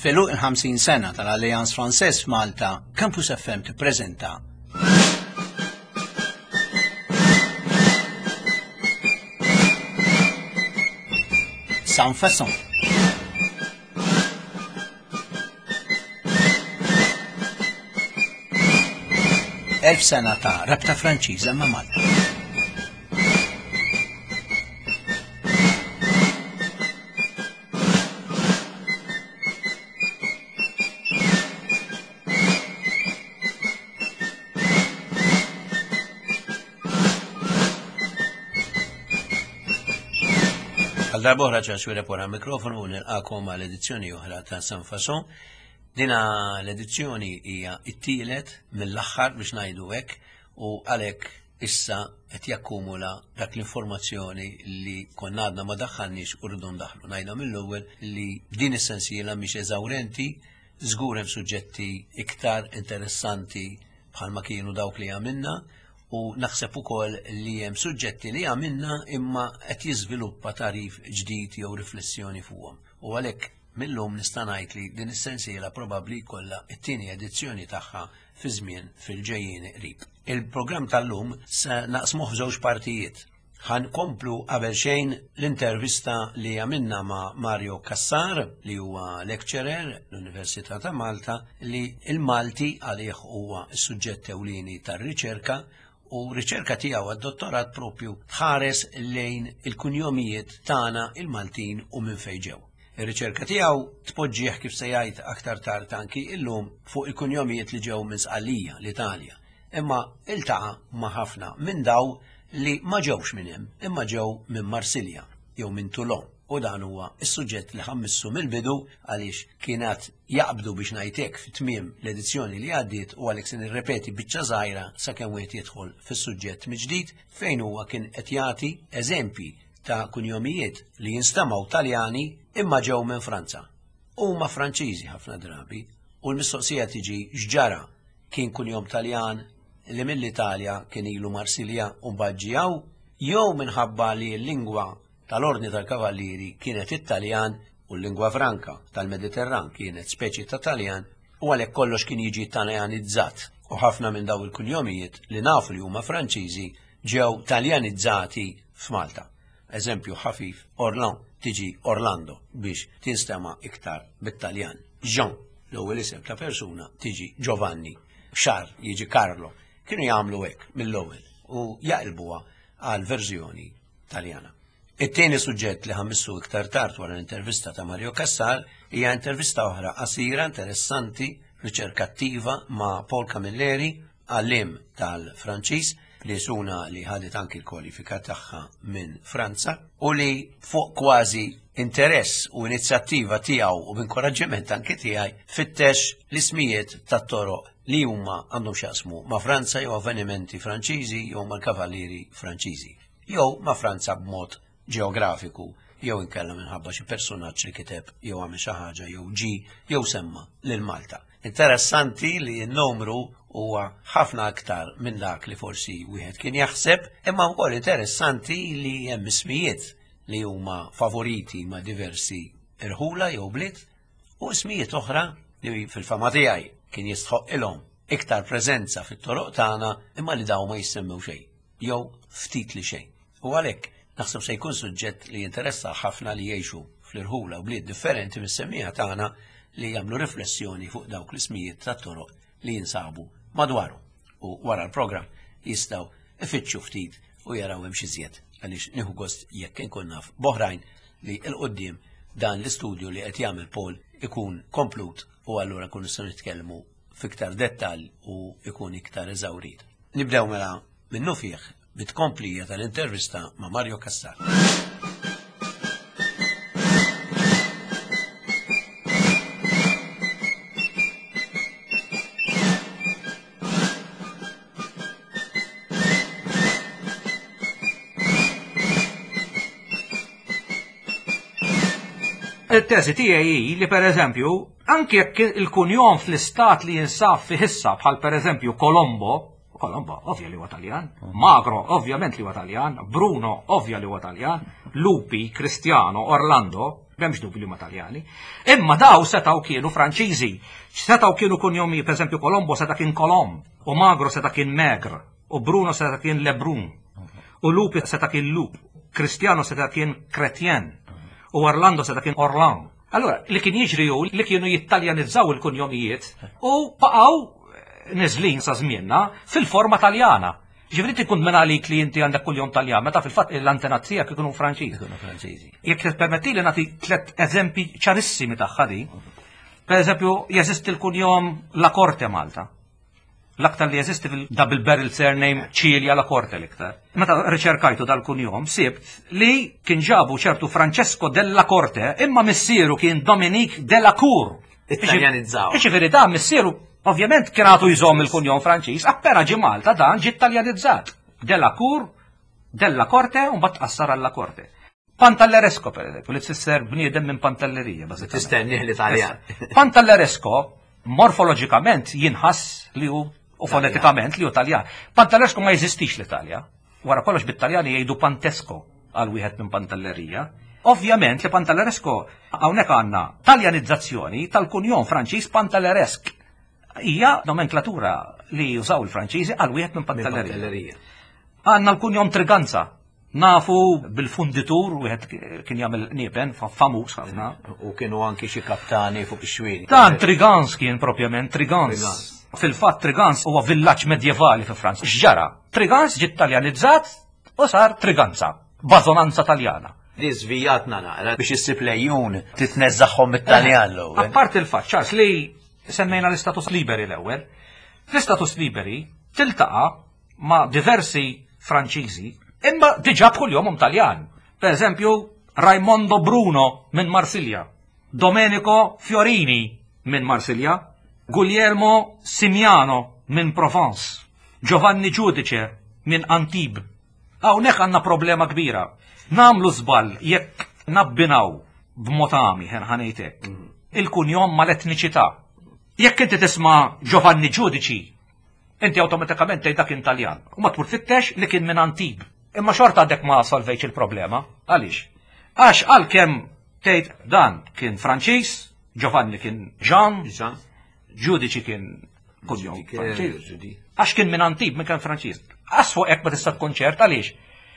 F'għeluq il-50 sena tal-Alliance Française f'Malta, Campus FM tippreżenta Sans Façon. Elf sena ta' rabta Franċiża ma' Malta. Għal darba oħra ċaċ wira wara mikrofonu u nilqakom għal edizzjoni oħra ta' San Fason. Dina l-edizzjoni hija t-tielet mill-aħħar biex ngħidu hekk u għalhekk issa qed jakkumula dak l-informazzjoni li konna għadna ma daħħalniex u rridu ndaħlu. Ngħidha mill-ewwel li din is-sensiela mhix eżawrenti, żgur hemm suġġetti iktar interessanti bħalma kienu dawk li għamilna u naħseb ukoll li hemm suġġetti li għamilna imma qed jiżviluppa tagħrif ġdid jew riflessjoni fuqhom. U għalhekk millum nista' ngħid li din is-sensiela probabbli jkollha t-tieni edizzjoni tagħha fi żmien fil-ġejjieni qrib. Il-programm tal-lum se naqsmuh f'żewġ partijiet. Ħa nkomplu qabel xejn l-intervista li għamilna ma' Mario Cassar li huwa lecturer l-Università ta' Malta li il-Malti għalih huwa s-suġġett ewlieni tar-riċerka u riċerka tiegħu għad-dottorat propju tħares lejn il-kunjomijiet tagħna il-Maltin u minn fejn ġew. Ir-riċerka tiegħu tpoġġih kif se jgħid aktar tard anki illum fuq il-kunjomijiet li ġew minn Sqallija, l-Italja. Imma iltaqa' ma' ħafna minn daw li ma ġewx minn hemm, imma ġew minn Marsilja jew minn Toulon. U dan huwa s-suġġett li ħammissu mill-bidu għaliex kien għad jaqbdu biex ngħid hekk fi tmiem l-edizzjoni li għaddiet u għalhekk se nirrepeti biċċa żgħira sakemm wieħed jidħol fis-suġġett mill-ġdid fejn huwa kien qed jagħti eżempji ta' kunjomijiet li jinstemgħu Taljani imma ġew minn Franza. Huma Franċiżi ħafna drabi u l-mistoqsija tiġi x'ġara kien kunjom Taljan li mill-Italja kien ilu Marsilja u mbagħad ġie hawn, jew minħabba li l-lingwa tal-Ordni tal-Kavallieri kienet it-Taljan u l-lingwa franka tal-Mediterran kienet speċi ta' Taljan u għalhekk kollox kien jiġi Taljanizzat u ħafna minn daw il-kunjomijiet li nafu li huma Franċiżi ġew Taljanizzati f'Malta. Eżempju ħafif, Orlan tiġi Orlando biex tinstema' iktar bit-Taljan. Jean, l-ewwel isem ta' persuna, tiġi Giovanni. Charles jiġi Carlo. Kienu jagħmlu hekk mill-ewwel u jaqilbuha għal verżjoni Taljana. It-tieni suġġett li ħammissu iktar tard wara l-intervista ta' Mario Cassar hija intervista oħra qasira, interessanti, riċerkattiva ma' Paul Camilleri, għalliem tal-Franċiż, li suna li ħadet anki l-kwalifika tagħha minn Franza u li fuq kważi interess u inizjattiva tiegħu u b'inkoraġġiment anki tiegħi fittex l-ismijiet tat-toroq li huma għandhom x'jaqsmu ma' Franza jew avvenimenti Franċiżi jew mal-kavallieri Franċiżi jew ma' Franza b'mod ġeografiku jew inkella minħabba xi persunaġġ li kiteb jew għamel xi ħaġa jew ġi jew semma lil Malta. Interessanti li n-numru huwa ħafna aktar minn dak li forsi wieħed kien jaħseb, imma wkoll interessanti li hemm ismijiet li huma favoriti ma' diversi irħula jew bliet u ismijiet oħra li fil-fama tiegħi kien jistħoq ilhom iktar preżenza fit-toroq tagħna imma li daw ma jissemmew xejn jew ftit li xejn. U għalhekk naħseb se jkun suġġett li jinteressa ħafna li jgħixu fl-irħula u bliet differenti mis-semmiegħa tagħna li jagħmlu riflessjoni fuq dawk l-ismijiet tat-toroq li jinsabu madwaru. U wara l-programm jistgħu ifittxu ftit u jaraw hemm xi żjed għaliex nieħu gost jekk inkun naf b'oħrajn li 'l quddiem dan l-istudju li qed jagħmel Paul ikun komplut u allura nkunu nistgħu nitkellmu f'iktar dettall u ikun iktar eżawrit. Nibdew mela minnufih bit-tkomplija tal-intervista ma' Mario Cassar. Il-teżi tiegħi hi li pereżempju, anke jekk il-kunjom fl-istat li jinsab fih issa bħal pereżempju Colombo, Colombo ovvja li huwa Taljan, Magro ovvjament li huwa Taljan, Bruno ovvja li huwa Taljan, Lupi, Cristiano, Orlando. M'hemmx dubju li huma Taljani. Imma daw setgħu kienu Franċiżi. Setgħu kienu kunjomi, pereżempju Colombo seta' kien Colomb, u Magro seta' kien Megr, u Bruno seta' kien Lebrun, u Lupi seta' kien Lup, Cristiano seta' kien Chretien, u Orlando seta' kien Orlan. Allura, li kien jiġri hu li kienu jittaljanizzaw il-kunjomijiet u baqgħu neżlin sa żmienna fil-forma Taljana. Ġifieri inti kont minn għalik li inti għandek kuljom Taljan, meta fil-fatt l-antenat tiegħek ikunu Franċiżi. Ikunu Franċiżi. Jekk tippermettili nagħti tliet eżempji ċarissimi tagħha di. Per eżempju, jeżisti l-kunjom La Corte Malta. L-aktar li jeżisti fil-double barrel surname Cilia La Corte l-iktar. Meta riċerkajtu dal-kunjom, sibt li kien ġabu ċertu Francesco della Corte, imma missieru kien Dominique della Cour. Italjanizzaw. Ġifieri dan missieru ovvjament kien għadu jżomm il-kunjom Franċiż, appena ġie Malta dan ġie Taljanizzat. Della Cour, Della Corte u mbagħad tqassar għal La Corte. Pantalleresco per eżempju, li tfisser bniedem minn Pantallerija. Tistennih li Taljan. Pantalleresco morfoloġikament jinħass li hu u fonetikament li hu Taljan. Pantalleresco ma jeżistix l-Italja. Wara kollox bit-Taljani jgħidu Pantesco għal wieħed minn Pantallerija. Ovvjament li Pantalleresco hawnhekk għandna Taljanizzazzjoni tal-kunjom Franċiż Pantalleresk. Hija nomenklatura li jużaw il-Franċiżi għal wieħed minn Pantallerija. Għandna l-kunjom Triganza. Nafu bil-funditur, wieħed kien jagħmel niepen, famuż ħafna. U kienu anki xi kaptani fuq ix-xwieni. Dan Trigans kien propjament, Trigans. Fil-fatt Trigans huwa villaġġ medjevali fi Franza. X'ġara? Trigans ġie Taljanizzat u sar Triganza, bażonanza Taljana. Li żvijatna naqra biex issib lejjun titneżżagħhom mit-Taljan l-ewwel. Apparti il-fatt, Charles, li semmejna l-istatus liberi l-ewwel. Fl-istatus liberi tiltaqa' ma' diversi Franċiżi, imma diġà b'kuljomhom Taljan. Per eżempju, Raimondo Bruno minn Marsilja, Domenico Fiorini minn Marsilja, Guglielmo Simiano minn Provence, Giovanni Giudice minn Antibes. Hawnhekk għandna problema kbira. Nagħmlu żball jekk nabbinaw b'mod għami, ħa ngħid hekk, il-kunjom mal-etniċità. Jekk inti tisma' Giovanni Giudici, Inti awtomatikament tgħid dak kien Taljan. U ma tmur tfittex li kien minn Antib. Imma xorta għadek ma solvejtx il-problema. Għaliex? Għax għalkemm tgħid dan kien Franċiż, Giovanni kien Jean, Ġudiċi kien kunjom Franċiż. Għax kien minn Antib, minn kien Franċiż. Għas fuq hekk ma tista' tkun ċert għaliex?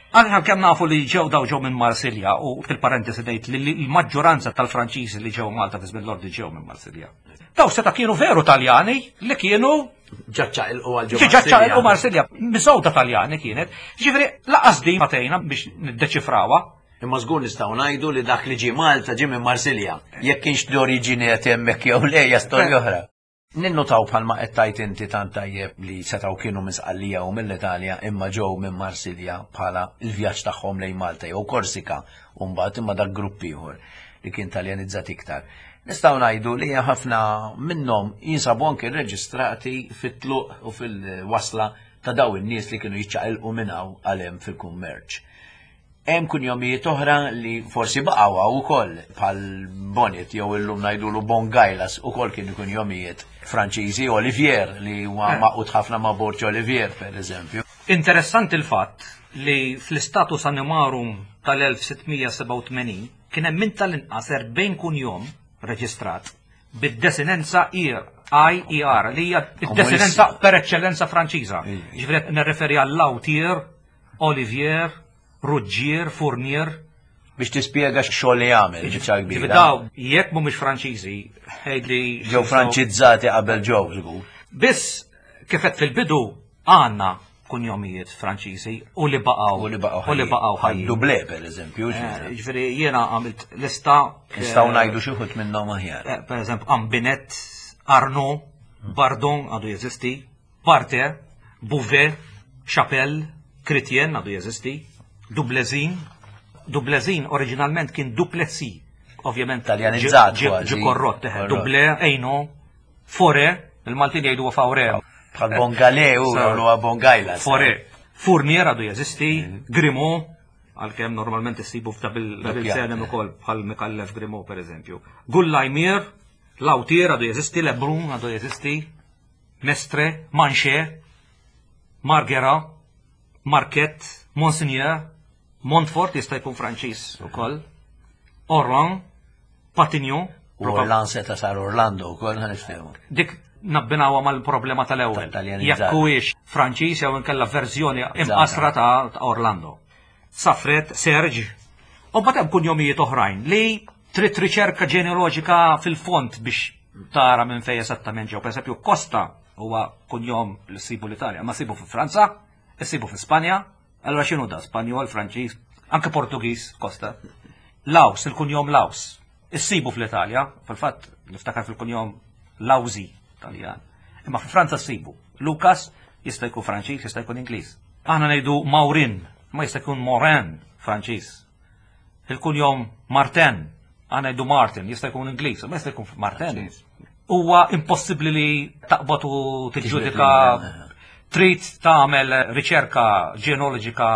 Għalkemm kemm nafu li ġew daw ġew minn Marsilja u fil-parentesi ngħid li l-maġġoranza tal-Franċiżi li ġew Malta fi żmien l-Ordni ġew minn Marsilja. Daw seta' kienu veru Taljani li kienu ġaċċa il għal ġew. Ġaċċa il Marsilja, miżgħuda Taljani kienet. Ġifieri laqas din ma tgħinna biex niddeċifrawha. Imma żgur nistgħu ngħidu li dak li ġie Malta ġie minn Marsilja. Jekk kienx l-oriġini qed hemmhekk jew le hija storja oħra. Ninnutaw bħalma qed tgħid inti tant tajjeb li setgħu kienu minn Sqallija u mill-Italja imma ġew minn Marsilja bħala l-vjaġġ tagħhom lejn Malta jew Korsika u mbagħad imma dak grupp ieħor li kien Taljanizzat iktar. Nistgħu ngħidu li ħafna minnhom jinsabu anke rreġistrati fit-tluq u fil-wasla ta' daw in-nies li kienu jiċċaqilqu minn hawn għal hemm fil-kummerċ. Hemm kunjomijiet oħra li forsi baqgħu hawn ukoll bħal Bonnet jew illum ngħidulu Bongailas ukoll kienu kunjomijiet Franċiżi, Olivier li huwa eh. maqut ħafna ma' Borġ Olivier pereżempju. Interessanti l-fatt li fl-istatus animarum tal-1687 kien hemm minn tal-inqas 40 kunjom reġistrat bid-desinenza IR, IER, li hija d-desinenza per eccellenza Franċiża. Ġifieri nirreferi għal Lautier, Olivier, Ruggier, Fournier. Biex tispjega x'xogħol li jagħmel, biċċa kbira. Daw, jekk mhumiex Franċiżi, ħejdli. Ġew Franċizzati qabel ġew żgur. Biss kif qed fil-bidu għandna kunjomijiet Franċiżi u li baqgħu u li baqgħu u li baqgħu ħajjin. Duble per eżempju. Eh, ġifieri jiena għamilt lista. Nistgħu eh, ngħidu xi wħud minnhom aħjar. Eh, per eżempju Ambinet, Arnaud, Bardon għadu jeżisti, Parte, Bouvet, Chapelle, Chrétien għadu jeżisti, Dublezin, Dublezin oriġinalment kien Duplessis, ovvjament Taljanizzat ġi korrott, eh, Duble, Ejno, Fore, il-Maltin jgħidu Faure. Bħal Bongale u huwa Bongajla. Fore. Fournier għadu jeżisti, Grimaud, għalkemm normalment issibu f'dabil sehnem ukoll bħal Mikallef Grimaud pereżempju. Gullajmier, Lautier għadu jeżisti, Lebrun għadu jeżisti, Mestre, Manche, Marghera, Marquette, Monseigneur, Montfort jista' jkun Franċiż ukoll, Oran, Patignon. U Orlan seta sar Orlando wkoll ħa niftehmu. Dik nabbinawha mal-problema tal-ewwel. Jekk huwiex Franċiż jew inkella verżjoni imqasra ta' Orlando. Safret, Serge, u mbagħad hemm kunjomijiet oħrajn li trid riċerka ġenealoġika fil-fond biex tara minn fejn esattament ġew. Pereżempju, Costa huwa kunjom li ssibu l-Italja, ma sibu fi Franza, issibu fi Spanja, allura x'inhu da Spanjol, Franċiż, anke Portugiż, Costa. Laus, il-kunjom Laus, issibu fl-Italja, fil-fatt niftakar fil-kunjom Lausi Taljan. Imma fi Franza ssibu. Lukas jista' jkun Franċiż, jista' jkun Ingliż. Aħna ngħidu Maurin, ma jista' jkun Morin Franċiż. Il-kunjom Martin, aħna ngħidu Martin, jista' jkun Ingliż, ma jista' jkun Martin. Huwa impossibbli li taqbad u tiġġudika trid tagħmel riċerka ġenealoġika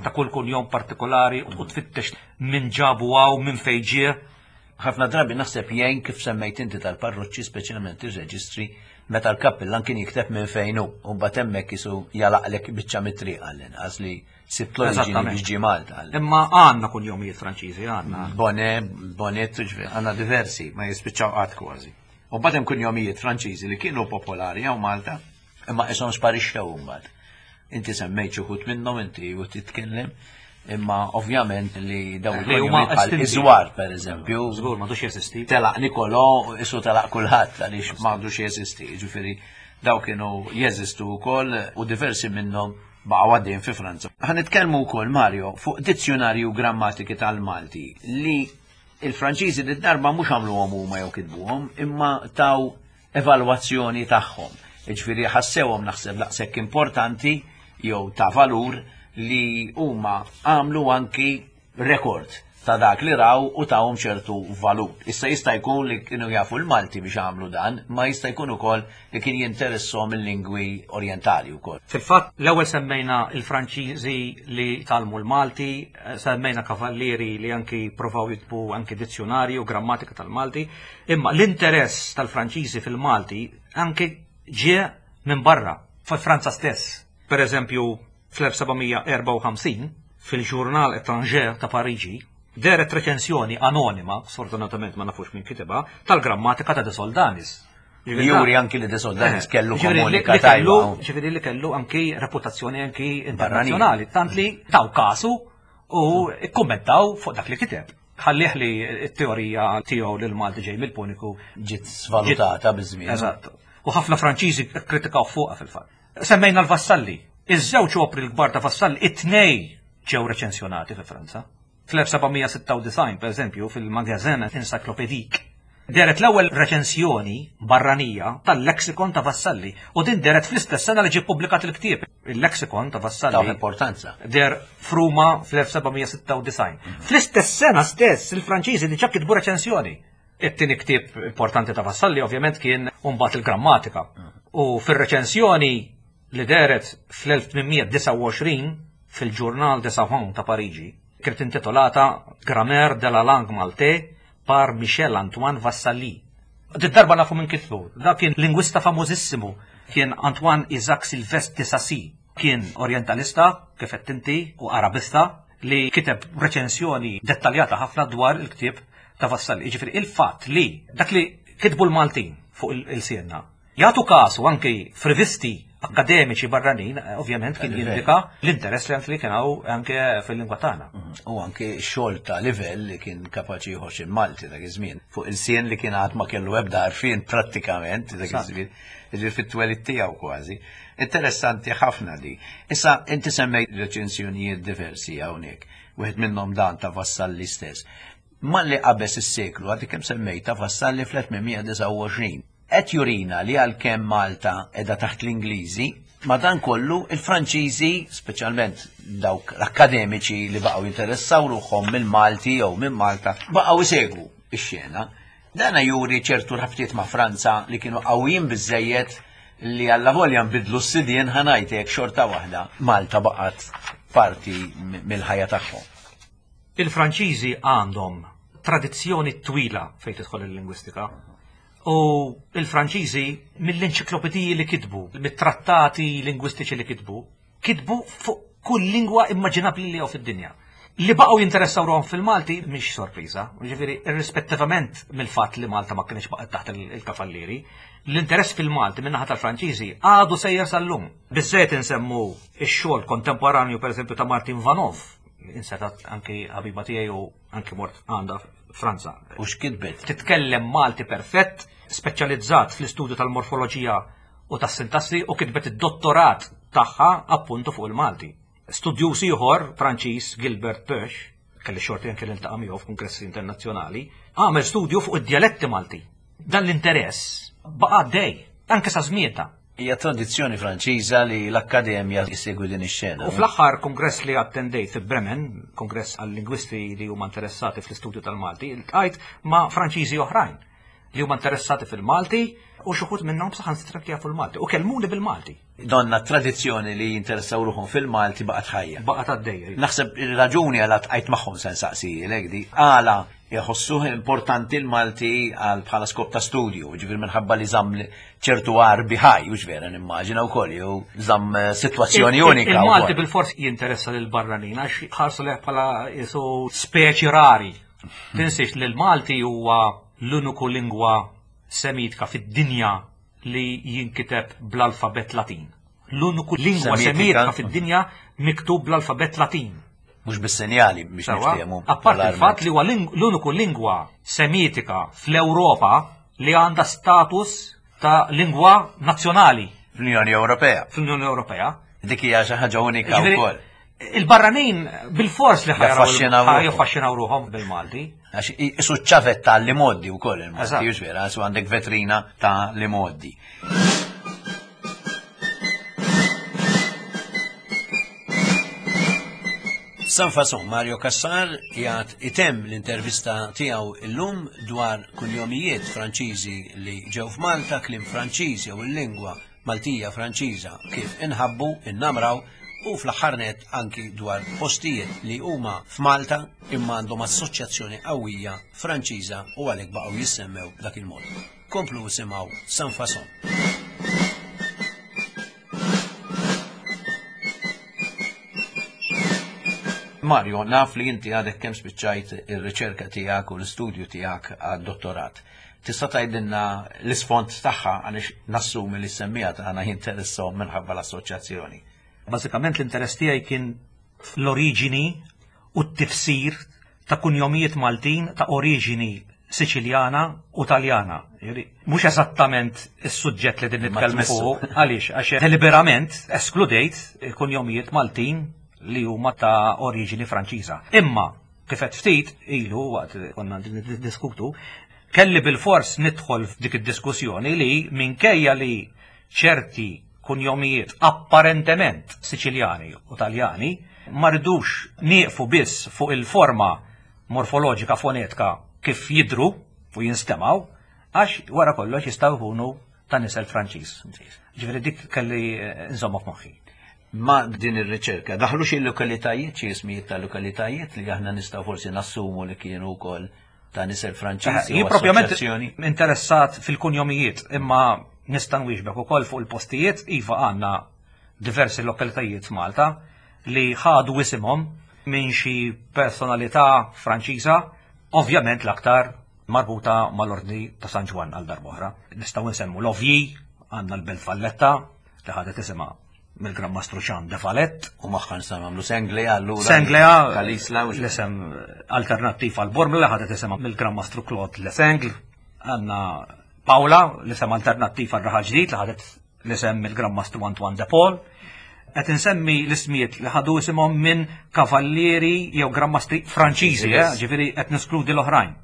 ta' kull kunjom partikolari u tfittex minn ġabu hawn, minn fejn ġie. Ħafna drabi naħseb jgħin kif semmejt inti tal-parroċċi speċjalment ir-reġistri meta l-kappillan kien jikteb minn fejn hu u mbagħad hemmhekk isu jalaqlek biċċa mit-triq għall-inqas li sibt l-oriġini biex ġie Malta. Imma għandna kunjomijiet Franċiżi għandna. Bonet, Bonet, għandna diversi, ma jispiċċaw qatt kważi. U mbagħad hemm kunjomijiet Franċiżi li kienu popolari hawn Malta, imma qishom sparixxew imbagħad. Inti semmejt xi wħud minnhom inti u titkellem, imma ovvjament li dawn il-kunjomijiet bħal Iżwar pereżempju. Żgur m'għadux jeżisti. Telaq Nikolo, isu telaq kulħadd għaliex m'għadux jeżisti. Ġifieri daw kienu jeżistu wkoll u diversi minnhom baqgħu għaddejjin fi Franza. Ħa nitkellmu wkoll Mario fuq dizzjunarju grammatiki tal-Malti li il-Franċiżi li darba mhux għamluhom huma jew kitbuhom, imma taw evalwazzjoni tagħhom. Jiġifieri ħassewhom naħseb daqshekk importanti jew ta' valur li huma għamlu anki rekord ta' dak li raw u tawhom ċertu valur. Issa jista' jkun li kienu jafu l-Malti biex għamlu dan, ma jista' jkun ukoll li kien jinteresshom il-lingwi orjentali wkoll. Fil-fatt, l-ewwel semmejna l-Franċiżi li tgħallmu l-Malti, semmejna kavallieri li anki provaw jiktbu anki dizzjunarju, grammatika tal-Malti, imma l-interess tal-Franċiżi fil-Malti anki ġie minn barra, fi Franza stess. Per eżempju, fl-1754, fil-Journal Étranger ta' Pariġi, dehret reċensjoni anonima, sfortunatament ma nafux min kitibha, tal-grammatika ta' De Soldanis. Juri anki li De Soldanis eh, kellu komunika tajba. Ġifieri li kellu anki reputazzjoni anki internazzjonali, tant li taw kasu u kkommentaw fuq dak li kiteb. Ħallih li t-teorija tiegħu li l-Malti ġej mill-Puniku ġiet svalutata biż-żmien. Eżatt. U ħafna Franċiżi kkritikaw fuqha fil-fatt. Semmejna l-Vassalli. Iż-żewġ opri l-kbar ta' Vassalli, it-tnej ġew reċensjonati fi Franza. Fl-1796, per eżempju, fil-Magasin Encyclopédique, dehret l-ewwel reċensjoni barranija tal-Lexikon ta' Vassalli u din dehret fl-istess sena li ġie ppubblikat il-ktieb. Il-Lexikon ta' Vassalli. Ta' importanza. Deher f'Ruma fl-1796. Fl-istess sena stess il-Franċiżi diġà kitbu reċensjoni. It-tieni ktieb importanti ta' Vassalli ovvjament kien mbagħad il-grammatika. U fir-reċensjoni li dehret fl-1829 fil-Journal des Savants ta' Pariġi, kienet intitolata Grammaire de la langue maltais par Michel Antoine Vassalli. Did-darba nafu min kitbu. Da kien lingwista famużissimu, kien Antoine Isaac Sylvestre de Sacy. Kien orjentalista, kif għedt inti, u Arabista li kiteb reċensjoni dettaljata ħafna dwar il-ktieb ta' Vassalli. Jiġifieri il-fatt li dak li kitbu l-Maltin fuq il-sienna jagħtu kasu anki f'rivisti akademiċi barranin, eh, ovvjament kien jindika l-interess li anki kien hawn anke fil-lingwa tagħna. Mhm. U anke xogħol ta' livell li kien kapaċi jħoss il-Malti dak iż-żmien. Fuq il-sien li kien għad ma kellu ebda għarfien prattikament dak iż-żmien, jiġifieri fit-twelid tiegħu kważi. Interessanti ħafna di. Issa inti semmejt reċensjonijiet diversi hawnhekk. Wieħed minnhom dan ta' Vassalli stess. Malli qabeż is-seklu għadek kemm semmejtha Vassalli fl-1829. Qed jurina li għalkemm Malta qiegħda taħt l-Ingliżi, madankollu il-Franċiżi, speċjalment dawk l-akkademiċi li baqgħu jinteressaw ruħhom mill-Malti jew minn Malta, baqgħu isegwu x-xena. Dana juri ċertu rabtiet ma' Franza li kienu qawwijin biżżejjed li allavolja nbidlu s-sidien ħa ngħid hekk xorta waħda Malta baqgħet parti mill-ħajja tagħhom. Il-Franċiżi għandhom tradizzjoni twila fejn tidħol il-lingwistika. U il-Franċiżi mill-enċiklopediji li kitbu, mit-trattati lingwistiċi li kitbu, kitbu fuq kull lingwa immaġinabbli li hawn fid-dinja. Li baqgħu jinteressaw ruħhom fil-Malti mhix sorpriża, jiġifieri irrispettivament mill-fatt li Malta ma kienx baqgħet taħt il-Kavallieri, l-interess fil-Malti min-naħa tal-Franċiżi għadu sejjer sal-lum. Biżżejjed insemmu x-xogħol kontemporanju pereżempju ta' Martin Vanov, insetat anki ħabiba tiegħi u anki mort għandha Franza. U x'kitbet? Titkellem Malti perfett, speċjalizzat fl-istudju tal-morfoloġija u tas-sintassi u kitbet id-dottorat tagħha appuntu fuq il-Malti. Studjuż ieħor Franċiż Gilbert Pösch, kelli xorti anke niltaqa' miegħu f'kungressi internazzjonali, għamel studju fuq id-djaletti Malti. Dan l-interess baqa' għaddej anke sa żmienna. Hija tradizzjoni Franċiża li l-Akkademja issegwi din ix-xena. U fl-aħħar kongress li attendejt fi Bremen, kongress għal-lingwisti li huma interessati fl-istudju tal-Malti, iltqajt ma' Franċiżi oħrajn li huma interessati fil-Malti u xi wħud minnhom saħansitra jafu l-Malti u kellmuni bil-Malti. Donna tradizzjoni li jinteressaw ruħhom fil-Malti baqgħet ħajja. Baqgħet għaddejja. Naħseb ir-raġuni għala tqajt magħhom se nsaqsilek di għala jħossuh importanti l-Malti għal bħala skop ta' studju, ġifier minħabba li żamm ċertu għarbi ħaj, u vera nimmaġina wkoll jew żamm eh, sitwazzjoni unika. Il-Malti bil-fors jinteressa lil barranin għax ħarsu leh bħala jisu speċi rari. Tinsiex li l-Malti huwa l-uniku lingwa semitika fid-dinja li jinkiteb bl-alfabet Latin. L-uniku lingwa semitika fid-dinja miktub bl-alfabet Latin. Mhux bis-senjali biex niftehmu. Apart il-fatt li huwa l-uniku lingwa semitika fl-Ewropa li għandha status ta' lingwa nazzjonali. Fl-Unjoni Ewropea. Fl-Unjoni Ewropea. Dik hija xi ħaġa unika wkoll. Il-barranin bil-fors li jaffaxxinaw ruħhom bil-Malti. Għax isu ċavetta li moddi wkoll il-Malti, hux vera, su għandek vetrina ta' li moddi. San Fason, Mario Cassar jgħat item l-intervista tiegħu illum dwar kunjomijiet Franċiżi li ġew f'Malta, kliem Franċiż jew il-lingwa Maltija Franċiża kif inħabbu, innamraw u fl-aħħar nett anki dwar postijiet li huma f'Malta imma għandhom assoċjazzjoni qawwija Franċiża u għalhekk baqgħu jissemmew dak il-mod. Komplu isimgħu San Fason. Mario, naf li inti għadek kemm spiċċajt ir-riċerka tiegħek u l-istudju tiegħek għad-dottorat. Tista' tgħidilna l-isfond tagħha għaliex nassumi li s-semmiegħa tagħna jinteressahom minħabba l-assoċjazzjoni. Bażikament l-interess tiegħi kien fl-oriġini u t-tifsir ta' kunjomijiet Maltin ta' oriġini Siċiljana u Taljana. Mhux eżattament is-suġġett li din nitkellmu fuq, għaliex għax deliberament eskludejt kunjomijiet Maltin li huma ta' oriġini Franċiża. Imma kif qed ftit ilu waqt konna niddiskutu, kelli bilfors nidħol f'dik id-diskussjoni li minkejja li ċerti kunjomijiet apparentement Siċiljani u Taljani ma rridux nieqfu biss fuq il-forma morfoloġika fonetika kif jidhru u jinstemgħu, għax wara kollox jistgħu jkunu ta' nisel Franċiż. Ġifieri dik kelli eh, nżomma f'moħħi. Ma' din ir-riċerka daħlu xi lokalitajiet, xi ismijiet ta' lokalitajiet li aħna nistgħu forsi nassumu li kienu wkoll ta' nisel Franċiż. Jien propjament interessat fil-kunjomijiet, imma nista' nwieġbek ukoll fuq il-postijiet, iva għandna diversi lokalitajiet f'Malta li ħadu isimhom minn xi personalità Franċiża, ovvjament l-aktar marbuta mal-Ordni ta' San Ġwann għal darb'oħra. Nistgħu nsemmu l-Ovji, għandna l-Belt Valletta li ħadet isimha mill-Gran Mastru Jean de Valette. U magħha nistgħu nagħmlu Senglea allura. Senglea, tal-Isla u l-isem alternattiv għal Bormla li ħadet isimha mill-Gran Mastru Claude Le Sengle. Għandna Paola, l-isem alternattiv għal Raħal Ġdid li ħadet l-isem mill-Gran Mastru Antoine de Paul. Qed insemmi l-ismijiet li ħadu isimhom minn kavallieri jew Gran Mastri Franċiżi, eh? ġifieri qed neskludi l-oħrajn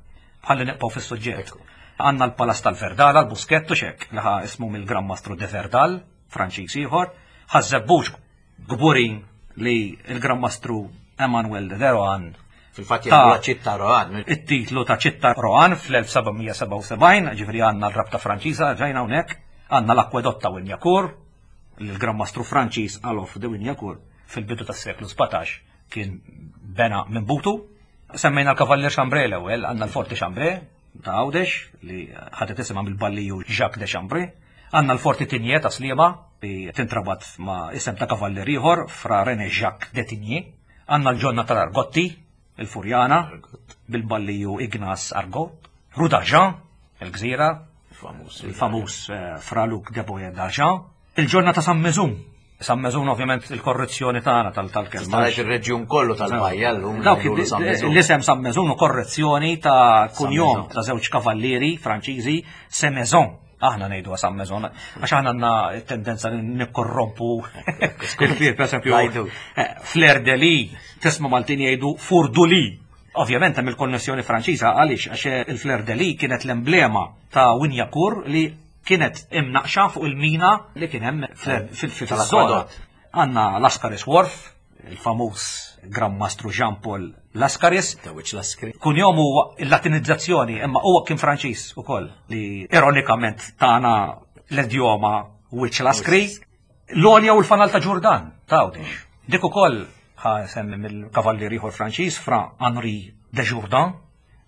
bħalli neqgħu fis-suġġett. Għandna l-Palast tal-Verdala, l-Buskettu xek, li ħa ismu mill-Gran Mastru de Verdal, Franċiż ieħor, Ħaż-Żebbuġ kburin li l-Gran Mastru Emmanuel de Rohan Fil-fatt jgħidulha Ċitta Rohan. It-titlu ta' Ċitta Rohan fl-1777, ġifieri għandna l-rabta Franċiża ġajna hawnhekk, għandna l-akwedott ta' Wignacourt, li l-Gran Mastru Franċiż Alof de Wignacourt fil-bidu tas-seklu 17 kien bena minn butu. Semmejna l-Kavallier Chambray l-ewwel, għandna l-Forti Chambray, ta' Għawdex li ħadet isimha mill-balliju Jacques de Chambry. Għandna l-Forti Tigné ta' Sliema li tintrabat ma' isem ta' kavallier ieħor, Fra René Jacques de Tigné. Għandna l-ġonna tal-Argotti il-Furjana, bil-balliju Ignas Argot, Rue d'Argent, il-Gżira, il-famuż eh, Fra Luc de Boyer d'Argent, il-ġonna ta' San Mezun. San Mezun ovvjament il-korrezzjoni tagħna tal-kelma. Tista' ir-reġjun kollu tal-bajja llum. Dawk l-isem San Mezun u korrezzjoni ta' kunjom ta' żewġ kavallieri Franċiżi Semezon. Aħna ngħidu San Mezon, għax aħna għandna tendenza li nikkorrompu il-kliem, per esempio, eh, Flair de Li, tisma' Maltin jgħidu Furduli. Ovvjament hemm il-konnessjoni Franċiża għaliex għax il-Fleur de Lis kienet l-emblema ta' Wignacourt li kienet imnaqxa fuq il-mina li kien hemm fil-żona. Għandna Lascaris Wharf, il-famuż Gran Mastru Jean Paul Lascaris. Kun jom huwa il-Latinizzazzjoni, imma huwa kien Franċiż ukoll li ironikament tana l-idjoma Wiċċ Laskri. L-għolja u l-fanal ta' Ġurdan, ta' Għawdex. Dik ukoll ħa semmi mill-kavallier ieħor Franċiż, Fra Henri de Jourdan.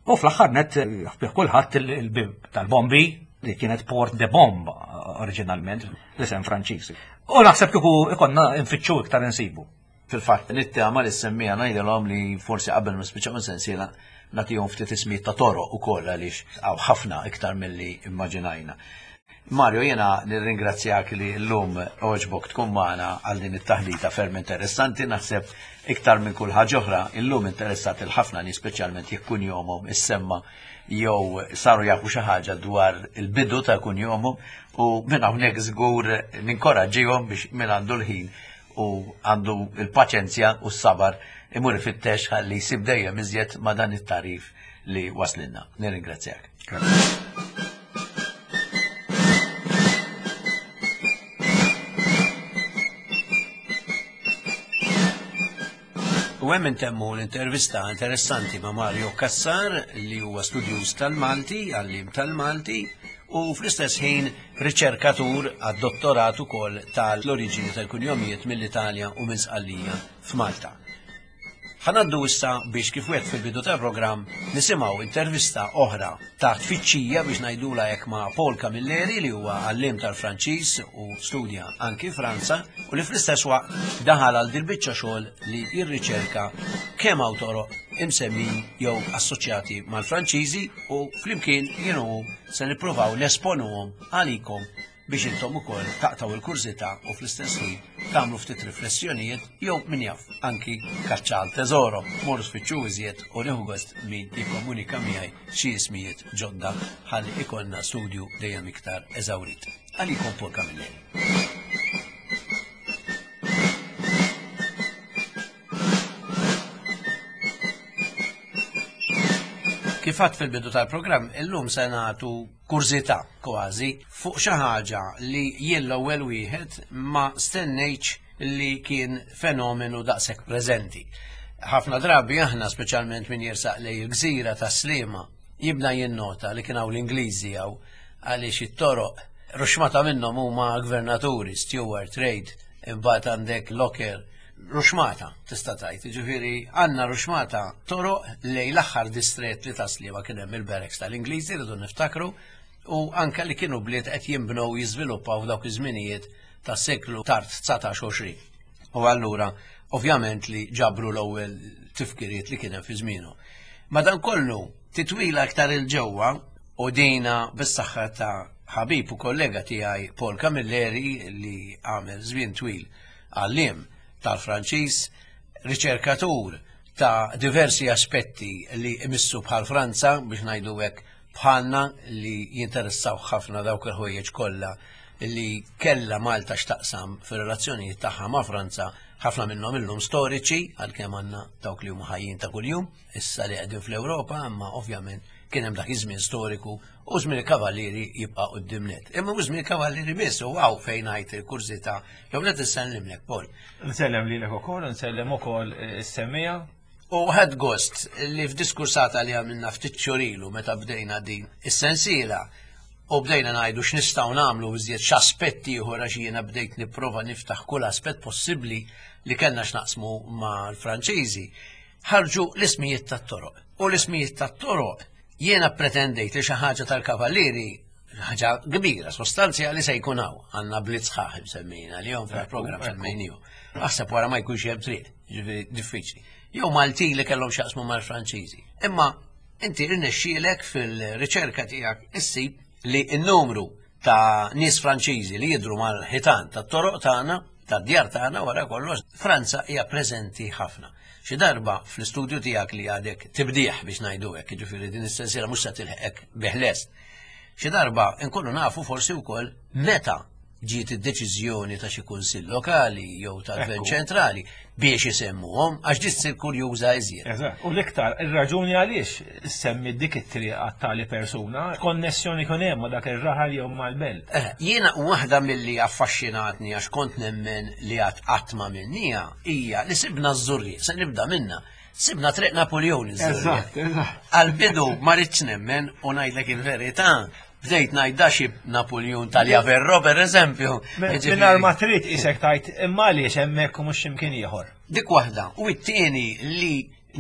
U fl-aħħar net bih kulħadd il-bib tal-bombi li kienet Port de Bomb oriġinalment, l-isem Franċiż. U naħseb kieku ikonna nfittxu iktar insibu. Fil-fatt, nittama li semmija ngħidilhom li forsi qabel ma spiċċaw sensiela nagħtihom ftit ismijiet ta' toroq ukoll għaliex hawn ħafna iktar milli immaġinajna. Mario, jena nirringrazzjak li l-lum oġbok tkun magħna għal din it-taħdita ferm interessanti, naħseb iktar minn kull ħaġa oħra, illum interessat il-ħafna nies speċjalment jekk kunjomhom issemma jew saru jafu xi ħaġa dwar il-bidu ta' kunjomhom u minn hawnhekk żgur ninkoraġġihom biex min għandu l-ħin u għandu il-paċenzja u s-sabar imur ifittex ħalli jsib dejjem iżjed ma' dan it-tarif li waslinna. Nirringrazzjak. U hemm intemmu l-intervista interessanti ma' Mario Cassar li huwa studjuż tal-Malti, għallim tal-Malti, u fl-istess ħin riċerkatur għad-dottorat ukoll tal-oriġini tal-kunjomijiet mill-Italja u minn Sqallija f'Malta. Ħa ngħaddu issa biex kif wieħed fil-bidu tal-programm nisimgħu intervista oħra ta' tfittxija biex ngħidula hekk ma' Paul Camilleri li huwa għalliem tal-Franċiż u studja anki Franza u li fl-istess waqt daħal għal dil-biċċa xogħol li jirriċerka kemm hawn toroq imsemmin jew assoċjati mal-Franċiżi u flimkien jien u se nippruvaw nesponuhom għalikom biex intom ukoll taqtgħu il-kurżità u fl-istess ħin tagħmlu ftit riflessjonijiet jew min jaf anki kaċċa għal teżoro. Morru tfittxu iżjed u nieħu gost min jikkomunika miegħi xi ismijiet ġodda ħalli ikollna studju dejjem iktar eżawrit. Għalikom Paul Camilleri. Kif għadt fil-bidu tal-programm, illum se nagħtu kurżità kważi fuq xi ħaġa li jien l-ewwel wieħed ma stennejtx li kien fenomenu daqshekk preżenti. Ħafna drabi aħna speċjalment min jersaq lejn il-gżira ta' Sliema jibda jinnota li kien hawn l-Ingliżi hawn għaliex it-toroq ruxmata minnhom huma gvernaturi, Stewart, Reid, imbagħad għandek Locker, ruxmata tista' tgħid. Jiġifieri għandna ruxmata toroq lejn l-aħħar distrett li ta' Sliema kien hemm il-barracks tal-Ingliżi rridu niftakru u anke li kienu bliet qed jinbnew jiżviluppaw f'dawk iż-żminijiet tas-seklu tard 19-20. U allura ovvjament li ġabru l-ewwel tifkiriet li kien hemm fi żmienhom. Madankollu titwila aktar il-ġewwa u dina bis-saħħa ta' ħabib u kollega tiegħi Paul Camilleri li għamel żmien twil għalliem tal-Franċiż, riċerkatur ta' diversi aspetti li imissu bħal Franza biex ngħidu hekk bħalna li jinteressaw ħafna dawk il-ħwejjeġ kollha li kella Malta x'taqsam fir-relazzjonijiet tagħha ma' Franza, ħafna minnhom illum storiċi għalkemm għandna dawk li huma ħajjin ta' kuljum, issa li qegħdin fl-Ewropa, imma ovvjament kien hemm dak iż-żmien storiku u żmien il-kavallieri jibqa' quddiem net. Imma mhux żmien il-kavallieri biss u hawn fejn ngħid il-kurżità jew qed insellimlek Paul. Nsellem lilek ukoll, nsellem ukoll is-semmiegħa. U ħadt gost li f'diskursata li għamilna ftit xhur ilu meta bdejna din is-sensiela u bdejna ngħidu x'nistgħu nagħmlu iżjed x'aspetti ieħor għax jiena bdejt nipprova niftaħ kull aspett possibbli li kellna x'naqsmu mal-Franċiżi, ħarġu l-ismijiet tat-toroq. U l-ismijiet tat-toroq jiena pretendejt li xi ħaġa tal-Kavallieri ħaġa kbira, sostanzjali se jkun hawn. Għandna bliet sħaħ semmejna li jom fil-programm semmejnihom. Aħseb wara ma jkunx hemm triq, ġifieri diffiċli. jew Maltin li kellhom x'jaqsmu mal-Franċiżi. Imma inti rnexxielek fil-riċerka tiegħek issib li n-numru ta' nies Franċiżi li jidhru mal-ħitan tat-toroq tagħna, tad-djar tagħna wara kollox, Franza hija preżenti ħafna. Xi darba fl-istudju tiegħek li għadek tibdih biex ngħidu hekk, jiġifieri din is-sensiela mhux se tilħeqek bih lest. Xi darba nkunu nafu forsi wkoll meta ġiet id-deċiżjoni ta' xi kunsill lokali jew tal-Gvern ċentrali biex isemmuhom għax di ssir kurjuża iżjed. Eżatt. U l-iktar ir-raġuni għaliex semmi dik it-triq għat-tali persuna, konnessjoni kien hemm ma' dak ir-raħal jew mal-belt. Eh, jiena waħda milli affaxxinatni għax kont nemmen li għad qatt ma minnija hija li sibna ż-żurri, se nibda minna. Sibna triq Napoleon Eżatt, eżatt. Għal-bidu ma rridx nemmen u ngħidlek il-verità, Bdejt ngħid da xi Napoleon tal-Javerro per eżempju. Mingħajr ma trid isek tajt imma għaliex hemmhekk u mhux x'imkien ieħor. Dik waħda. U t-tieni li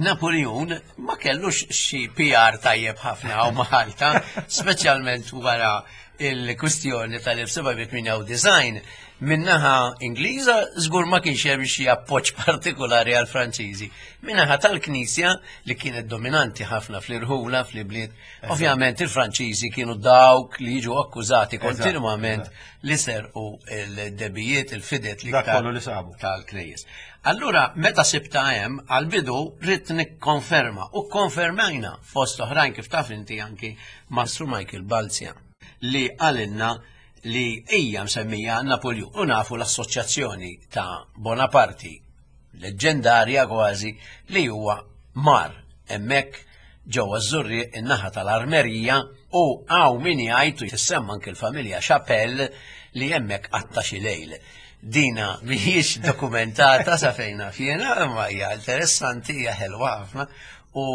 Napoleon ma kellux xi PR tajjeb ħafna hawn Malta, speċjalment wara il-kwistjoni tal-1798 minnaħa Ingliża żgur ma kienx hemm xi appoġġ partikolari għal Franċiżi. Minnaħa tal-Knisja li kienet dominanti ħafna fl-irħula fl-ibliet Ovvjament il-Franċiżi kienu dawk li jiġu akkużati kontinwament li serqu il-debijiet, il-fidet li kollu li sabu tal-knejjes. Allura meta sibta hemm għal-bidu rrid nikkonferma u konfermajna fost oħrajn kif taf inti anki Mastru Michael Balzja li għalinna li hija msemmija Napolju u nafu l-assoċjazzjoni ta' Bonaparte leġġendarja kważi li huwa mar hemmhekk ġewwa ż-Żurrieq in-naħa tal-Armerija u hawn min jgħid u tissemma anke l-familja Chapelle li hemmhekk qatta' xi lejl. Dina mhijiex dokumentata sa fejn naf jiena, imma hija interessanti, hija ħelwa ħafna u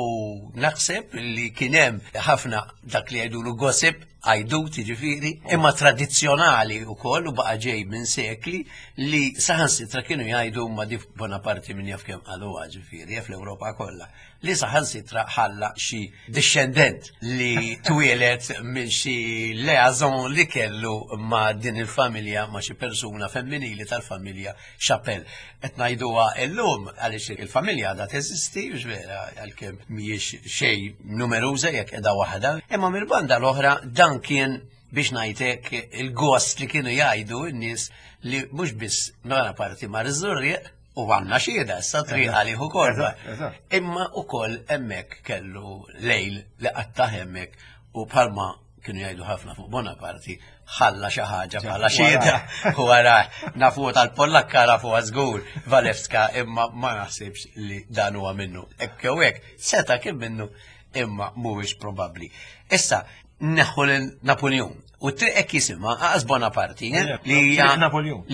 naħseb li kien hemm ħafna dak li jgħidulu gossip għajdut jiġifieri, imma tradizzjonali wkoll u baqa' ġej minn sekli li saħansitra kienu jgħidu ma di Bonaparte min jaf kemm qaluha ġifieri fl-Ewropa kollha li saħansitra ħalla xi dixxendent li twieled minn xi liaison li kellu ma' din il-familja ma' xi persuna femminili tal-familja Chapelle. Qed ngħiduha llum għaliex il-familja għadha teżisti, mhux vera, għalkemm mhijiex xejn numeruża jekk qiegħda waħda, imma mill-banda l-oħra dan kien biex ngħidlek il-gost li kienu jgħidu n-nies li mhux biss Bonaparte mar iż-Żurrieq u għandna xhieda issa triq għalih ukoll. Imma ukoll hemmhekk kellu lejl li qattah hemmhekk u bħalma kienu jgħidu ħafna fuq Bonaparte, ħalla xi ħaġa bħala xhieda u wara nafu tal-Pollakka nafu żgur Walewska imma ma naħsibx li dan huwa minnu. Hekk jew hekk seta' kien minnu imma mhuwiex probabbli. Issa neħħu lil Napoleon. U triq hekk jisimha aqas Bonaparte, eh, li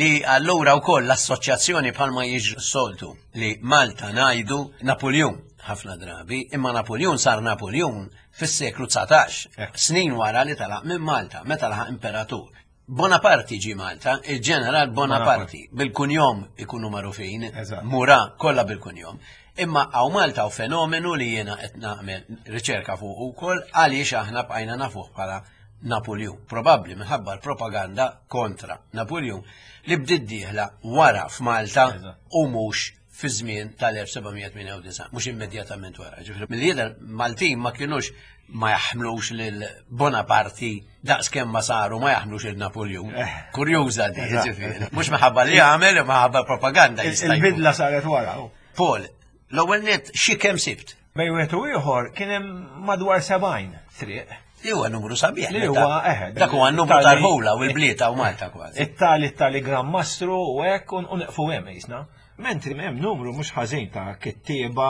li allura wkoll l-assoċjazzjoni bħalma jiġri soltu li Malta ngħidu Napoleon ħafna drabi, imma Napoleon sar Napoleon fis-seklu 19, snin wara li talaq minn Malta, meta laħaq imperatur. Bonaparte ġi Malta, il-ġeneral Bonaparte, bil-kunjom ikunu magħrufin, Mura kollha bil-kunjom. Imma hawn Malta u fenomenu li jiena qed nagħmel riċerka fuq ukoll għaliex aħna bqajna nafuh bħala Napoleon. Probabbli minħabba l-propaganda kontra Napoleon li bdiet dieħla wara f'Malta u mhux fi żmien tal-1798, mhux immedjatament wara. Ġifieri milli jidher Maltin ma kinux ma jaħmlux lil Bonaparte daqs kemm ma saru ma jaħmlux il Napoleon. Eh. Kurjuża di, ġifieri. Mhux minħabba li għamel, imma ħabba propaganda. Il-bidla saret wara. Paul, l-ewwel nett xi kemm sibt? Bejn wieħed u ieħor kien hemm madwar 70 triq. Li huwa numru sabiħ. Li huwa eħe. Dak huwa numru tal-ħula u l-blieta u Malta kważi. It-tali tali Gran Mastru u hekk u neqfu hemm qisna. Mentri hemm numru mhux ħażin ta' kittieba,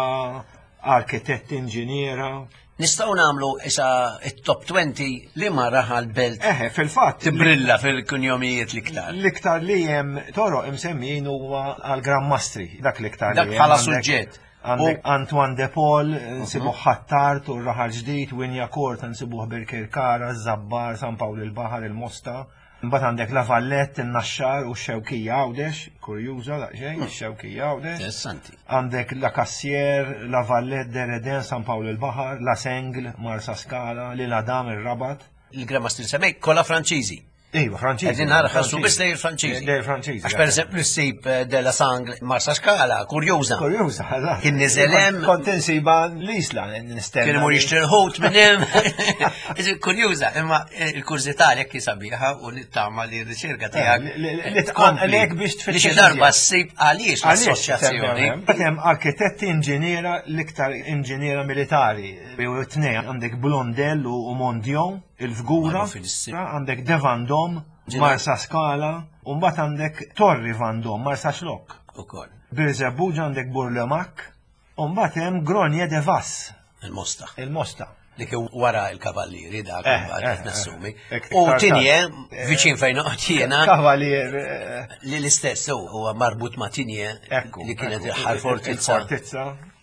arkitetti, inġiniera. Nistgħu nagħmlu isa it-top 20 li ma raħal belt. Eħe, fil-fatt. Tibrilla fil-kunjomijiet l-iktar. L-iktar li hemm toroq imsemmijin huwa għal Gran Mastri, dak l-iktar. Dak bħala suġġett. Għandek Antoine de Paul, nsibuh Ħ'Attard u Raħal Ġdid, Wignacourt nsibuh Birkirkara, Żabbar, San Pawl il-Baħar, il-Mosta. Imbagħad għandek La Vallette, in-Naxxar u x-Xewkija Għawdex, kurjuża daqsxejn, ix-Xewkija Għawdex. Interessanti. Għandek La Cassière, La Vallette, Dereden, San Pawl il-Baħar, La Sengle, Marsa Scala, Lil Adam, ir-Rabat. Il-Gran Mastri semmejt kollha Franċiżi. Iva, Franċiżi. Qegħdin nħarsu biss lejn il-Franċiżi. Lejn il-Franċiżi. Għax pereżempju ssib eh, Della Sang Marsa Skala, kurjuża. Kurjuża, eżatt. Kien niżel hemm. Kont insiba l-isla nistenna. Kien imur jixtri l-ħut minn hemm. Kurjuża, imma eh, il-kurżità għalhekk hi sabiħa u nittama li r-riċerka eh, tiegħek. Li tqanqlek biex tfittex. Li xi darba ssib għaliex l-assoċjazzjoni. Hemm arkitetti, inġiniera, l-iktar inġiniera militari. U t-tnejn għandek Blondel u Mondion. Il-Fgura, għandek De Vendôme, Marsa Scala, u mbagħad għandek Torri Vendôme, Marsa Xlokk. Ukoll. Birżebbuġa għandek Burlemac, u mbagħad hemm Gronier de Vas. Il-Mosta. Il-Mosta. Li kien wara l-Kavallieri dak eh, mbagħad eh, qed nassumi. Eh, u Tinje, viċin fejn noqgħod jiena. Kavalier. Li l-istess huwa marbut ma' Tinje li kienet il-ħar fortizza.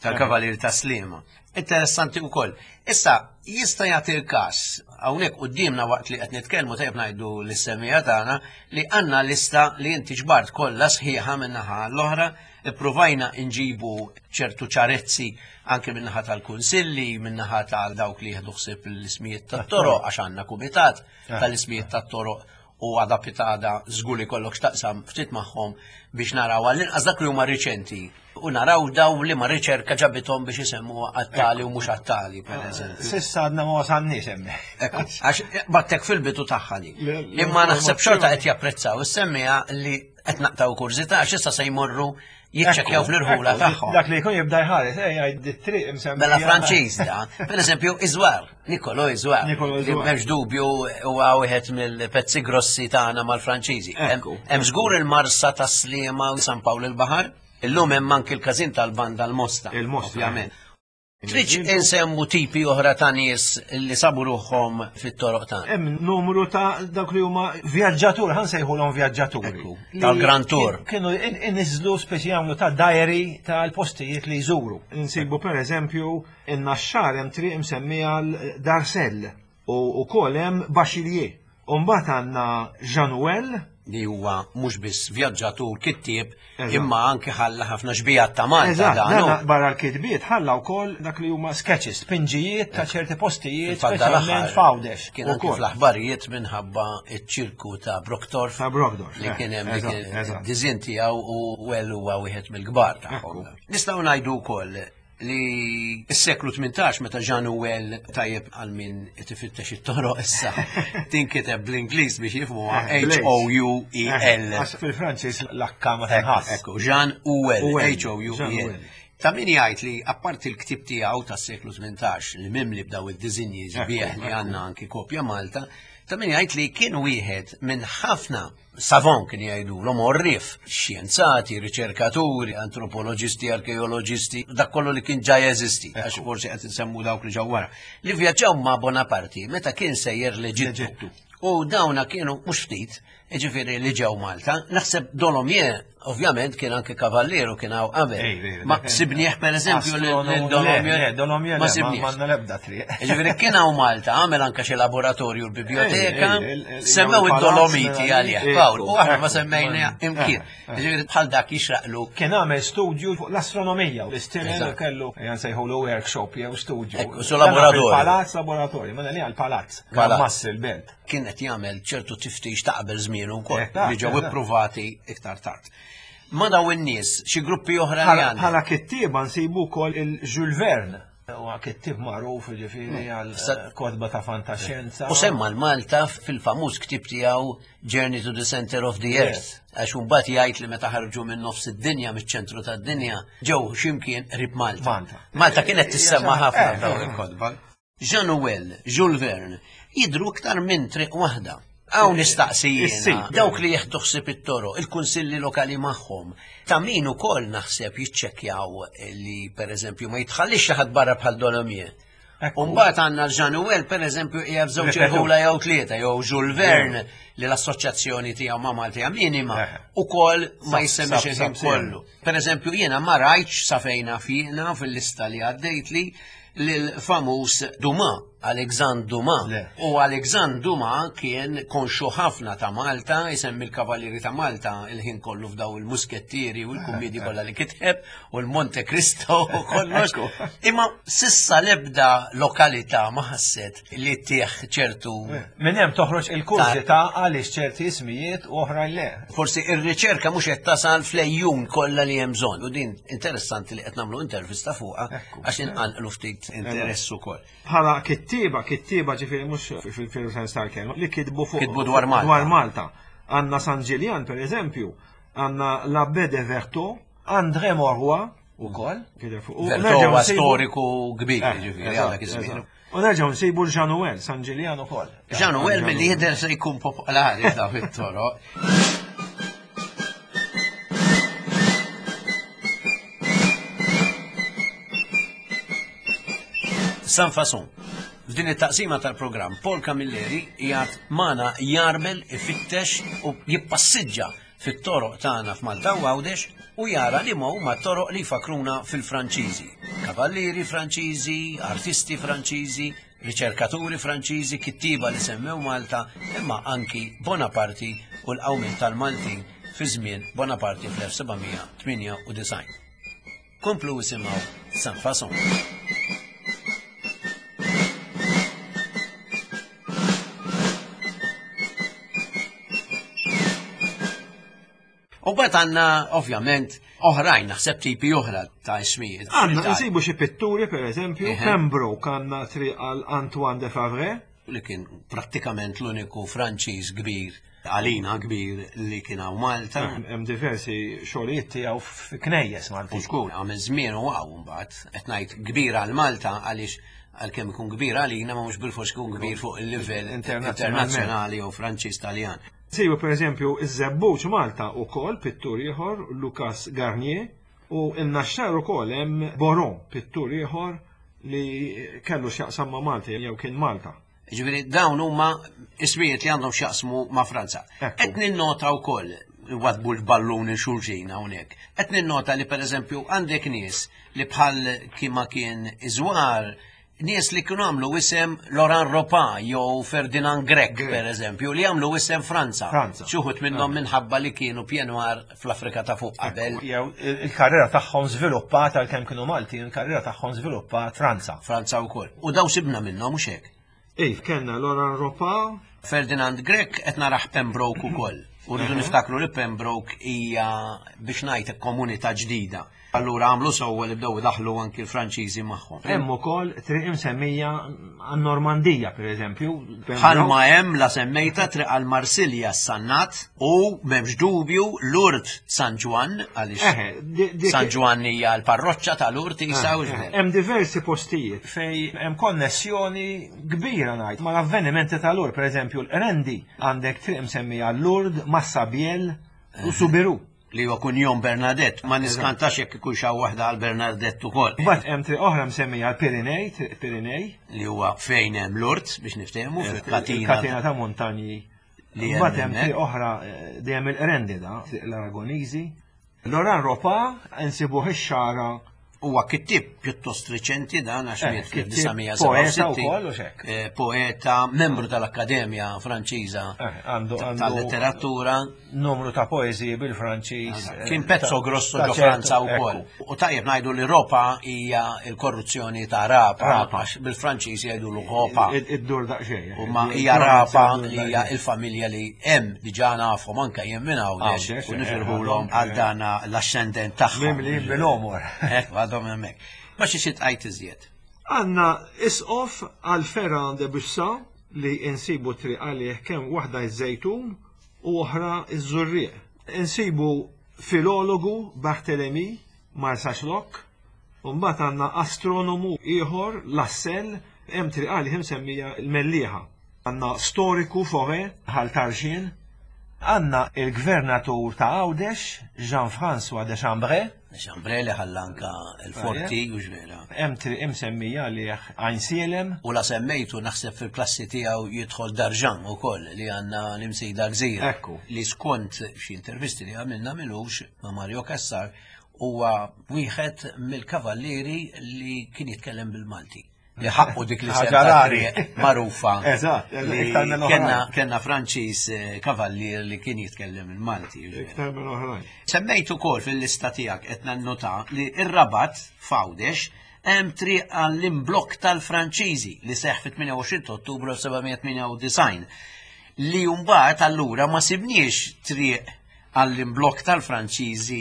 Tal-Kavallieri ta' Sliema. Interessanti wkoll. Issa, jista' jagħti l-każ hawnhekk quddiemna waqt li qed nitkellmu tajjeb ngħidu lis-semmiegħa tagħna li għandna lista li inti ġbart kollha sħiħa minn naħa l-oħra, ippruvajna nġibu ċertu ċarezzi anke minn naħa tal-kunsilli, minn naħa tal dawk li jieħdu ħsieb l-ismijiet tat-toroq għax għandna kumitat tal-ismijiet tat-toroq u għada pitada żgur li kollok x'taqsam ftit magħhom biex naraw għall-inqas dak li huma riċenti u naraw daw li ma riċerka ġabithom biex isemmu għattali u mhux għattali, per eżempju. Sissa għadna ma wasalniex hemmhekk. Għax battek fil-bidu tagħha li. Imma naħseb xorta qed japprezzaw is-semmija li qed naqtaw kurżità għax issa se jmorru jiċċekkjaw fl-irħula tagħhom. Dak li jkun jibda jħares, ej jgħid it-triq imsemmi. Mela Franċiż da. Per eżempju, Iżwar, Nikolo Iżwar. Nikolo Iżwar. M'hemmx dubju huwa wieħed mill-pezzi grossi tagħna mal-Franċiżi. Hemm żgur il-Marsa ta' Sliema u San Pawl il-Baħar. Illum hemm anki l-każin tal-banda l-Mosta. Il-Mosta. Ovvjament. Tridx insemmu tipi oħra ta' nies li sabu ruħhom fit-toroq tagħna. Hemm numru ta' dawk li huma vjaġġatur, ħan sejħulhom vjaġġaturi. Tal-Grand Tour. Kienu iniżlu speċi jagħmlu ta' diary tal-postijiet li jżuru. Insibu pereżempju in-Naxxar hemm triq imsemmija l-Darsell u wkoll hemm Bachelier. U mbagħad għandna Jean Nouel. Li huwa mhux biss vjaġġatur, kittieb, imma anki ħalla ħafna xbijat ta' Malta. Eżatt, dan barra l-kitbiet ħalla wkoll dak li huma sketches, tpinġijiet ta' ċerti postijiet, speċjalment f'Għawdex. Kien anki fl-aħbarijiet minħabba ċ-ċirku ta' Brockdorf. Ta' Brockdorf. Li kien hemm dik id-diżin tiegħu u well huwa wieħed mill-kbar tagħhom. Nistgħu ngħidu wkoll li s-seklu 18 meta Jean Nouel tajjeb għal min qed ifittex it-toroq issa tinkiteb bl-Ingliż biex jifhmuha eh, H-O-U-E-L. Eh, fil-Franċiż l-akka ma tinħass. Ekku, Jean Nouel, H-O-U-E-L. Ta' min jgħid li apparti l-ktib tiegħu tas-seklu 18 li mimli b'daw id-diżinji sbieħ li għandna anki kopja Malta, ta' min jgħid li kien wieħed minn ħafna Savon kien jgħidulhom għorrief, xjenzati, riċerkaturi, antropoloġisti, arkeoloġisti, dak kollu li kien ġa jeżisti, għax forsi qed insemmu dawk li ġew wara, li vjaġġaw ma' Bonaparte meta kien sejjer l-Eġittu. U dawna kienu mhux ftit, jiġifieri li ġew Malta. Naħseb Dolomier Ovvjament kien anke kavallier u kien hawn qabel. Ma sibnieh pereżempju lil Dolomier. Dolomier ma sibnieh. Ma l-ebda triq. Ġifieri kien hawn Malta, għamel anke xi laboratorju l-biblioteka, semmew id-Dolomiti għalih, Pawl, u aħna ma semmejna imkien. Ġifieri bħal dak jixraqlu. Kien għamel studju fuq l-astronomija u l-istilel u kellu ejja nsejħulu workshop jew studju. Ekku, su laboratorju. Palazz laboratorju, ma li għal-palazz. Palazz il-belt. Kien qed jagħmel ċertu tiftix ta' qabel żmienu wkoll li ġew ippruvati iktar tard. Ma daw in-nies xi gruppi oħra li għandna. Bħala kittieba nsibu wkoll il-Jules Verne. Huwa kittieb magħruf jiġifieri hmm. għal kotba ta' fantaxjenza. U semma l-Malta fil-famuż ktieb tiegħu Journey to the Center of the Earth. Għax imbagħad jgħid li meta ħarġu minn nofs id-dinja, miċ-ċentru tad-dinja, ġew x'imkien qrib Malta. Malta kienet tissemma ħafna eh, f'dawn eh. il-kotba. Jean Nouvel, Jules Verne, jidhru iktar minn triq waħda. Hawn nistaqsi jiena, dawk li jieħdu ħsieb it-toroq, il-kunsilli lokali magħhom, ta' min ukoll naħseb jiċċekkjaw li pereżempju ma jitħallix xi ħadd barra bħal Dolomier. U mbagħad għandna Jean Nouvel pereżempju qiegħed f'żewġ irħula jew tlieta jew Jules Verne li l-assoċjazzjoni tiegħu ma' Malta hija minima ukoll ma jissemmix il-ħin kollu. Pereżempju jiena ma rajtx sa fejn naf jiena fil-lista li għaddejtli lill-famuż Dumas. Alexandre Dumas. Le. U Alexandre Dumas kien konxu ħafna ta' Malta, jisemmi l-Kavallieri ta' Malta il-ħin kollu f'daw il-muskettieri u l-kummidi kollha li kiteb u l-Monte Cristo u kollox. Imma sissa l-ebda lokalità ma ħasset li tieħ ċertu. Minn hemm toħroġ il-kurżità għaliex ċerti ismijiet u oħrajn le. Forsi ir-riċerka mhux qed tasal fl-ejjun kollha li hemm bżonn u din interessanti li qed nagħmlu intervista fuqha għax inqanqlu ftit interess ukoll. Bħala kittieba, kittieba ġifieri mhux fil-sens tal-kelma, li kitbu fuq. Kitbu dwar Malta. Dwar Malta. Għandna San Ġiljan, per eżempju, għandna l-Abbé de Vertot, André Mauroy ukoll. Vertot huwa storiku kbir, ġifieri, għal dak iż-żmien. U nerġgħu nsibu l-Jean Nouel, San Ġiljan ukoll. Jean Nouel milli jidher se jkun popolari ta' fit-toroq. San Fason. F'din it-taqsima tal-programm Paul Camilleri qiegħed magħna jarbel, ifittex u jippassiġġa fit-toroq tagħna f'Malta u Għawdex u jara li ma huma toroq li jfakruna fil-Franċiżi. Kavallieri Franċiżi, artisti Franċiżi, riċerkaturi Franċiżi, kittieba li semmew Malta, imma anki Bonaparti u l-qawmien tal-Maltin fi żmien Bonaparti fl-1798. Komplu isimgħu San Fason. U bat għanna, ovvjament, oħrajn, naħseb tipi oħra ta' ismijiet. Għanna, nsibu xi pitturi, per eżempju, Pembroke għanna triq għal Antoine de Favre. Li kien prattikament l-uniku Franċiż kbir, għalina kbir li kien hawn Malta. Hemm diversi xogħlijiet tiegħu fi knejjes Malti. U żgur, għamel żmien u hawn mbagħad, qed ngħid kbir għal Malta għaliex għalkemm ikun kbir għalina ma mhux bilfors ikun kbir fuq il-livell internazzjonali jew Franċiż Taljan. Sibu per eżempju iż-Żebbuġ Malta ukoll pittur ieħor Lucas Garnier u n-Naxxar ukoll hemm Boron pittur ieħor li kellu x'jaqsam ma' Malta jew kien Malta. Ġifieri dawn huma ismijiet li għandhom x'jaqsmu ma' Franza. Qed ninnota wkoll wadbu l-ballun il-xulxin hawnhekk. Qed ninnota li pereżempju għandek nies li bħal kima kien iżwar nies li kienu għamlu isem Laurent Ropa jew Ferdinand Grech, per eżempju, li għamlu isem Franza. Franza. Xi wħud minnhom minħabba li kienu pjenwar fl-Afrika ta' fuq qabel. Jew il-karriera tagħhom żviluppat għalkemm kienu Maltin, il-karriera tagħhom żviluppat Franza. Franza wkoll. U daw sibna minnhom mhux hekk. Ej, kellna Laurent Ropa. Ferdinand Grech qed narah Pembroke ukoll. U rridu niftakru li Pembroke hija biex ngħid komunità ġdida. Allura għamlu sewwa li bdew idaħħlu anki l-Franċiżi magħhom. Hemm ukoll triq imsemmija għan-Normandija, pereżempju. Bħalma hemm la semmejta triq għal Marsilja s-Sannat u m'hemmx dubju Lourdes San Ġwann għaliex San Ġwann hija l-parroċċa ta' Lourdes isa u Hemm diversi postijiet fejn hemm konnessjoni kbira ngħid mal-avvenimenti ta' Lourdes, pereżempju l-Qrendi għandek triq imsemmija Lourdes, Massabielle u Soubirous. Li huwa kunjom Bernadette, ma niskantax jekk ikun xi waħda għal Bernadette ukoll. Mbagħad hemm triq oħra msemmija l-Pirinej, triq Pirinej. Li huwa fejn hemm Lourdes biex niftehmu fil-katina. Katina ta' montanji. Li Mbagħad hemm triq oħra eh, dejjem il-Qrendi da, triq l-Aragoniżi. Laurent Ropa insibuh ix-xara Huwa kittieb pjuttost riċenti dan għax eh, miet fl-1967. Eh, poeta, membru tal-Akkademja Franċiża eh, tal-letteratura. Numru ta' poeżiji bil-Franċiż. Kien pezzo grosso ġo Franza wkoll. U tajjeb ngħidu li Ropa hija l-korruzzjoni ta' Rapa, għax bil-Franċiż jgħidu l Ropa. Id-dur daqsxejn. U ma hija Rapa li hija il-familja li hemm diġà nafhom anke jien minn Għawdex u nifirħulhom għal dana l-ascendent tagħhom. Mimli bil-omor. Eh, għadhom hemmhekk. Ma xi xi tqajt iżjed. Għandna isqof għal Ferran de Bussa li insibu triq għalih kemm waħda iż-Żejtun u oħra iż-Żurrieq. Insibu filologu Barthelemy Marsaxlokk, u mbagħad għandna astronomu ieħor Lassell hemm triq għalih imsemmija l-Mellieħa. Għandna storiku Fauré Ħal Tarxien. Għandna il-Gvernatur ta' Għawdex, Jean-François de Chambray. De Chambray li ħalla anka l-forti, u vera. Hemm triq imsemmija għalih Għajnsielem. U la semmejtu naħseb fil-klassi tiegħu jidħol Darjan ukoll li għandna l-Imsida Gżira. Ekku. Li skont xi intervisti li għamilna milux ma' Mario Cassar huwa wieħed mill-kavallieri li kien jitkellem bil-Malti. Li ħaqqu dik li Ħaġa rari. magħrufa. Eżatt, li iktar minn oħrajn. Kellna Franċiż eh, kavallier li kien jitkellem il-Malti. Iktar minn oħrajn. Semmejt ukoll fil-lista tiegħek qed nannota li r-Rabat f'Għawdex hemm triq għall-imblokk tal-Franċiżi li seħħ fit-28 ta' Ottubru 1798 li mbagħad allura ma sibniex triq għall-imblokk tal-Franċiżi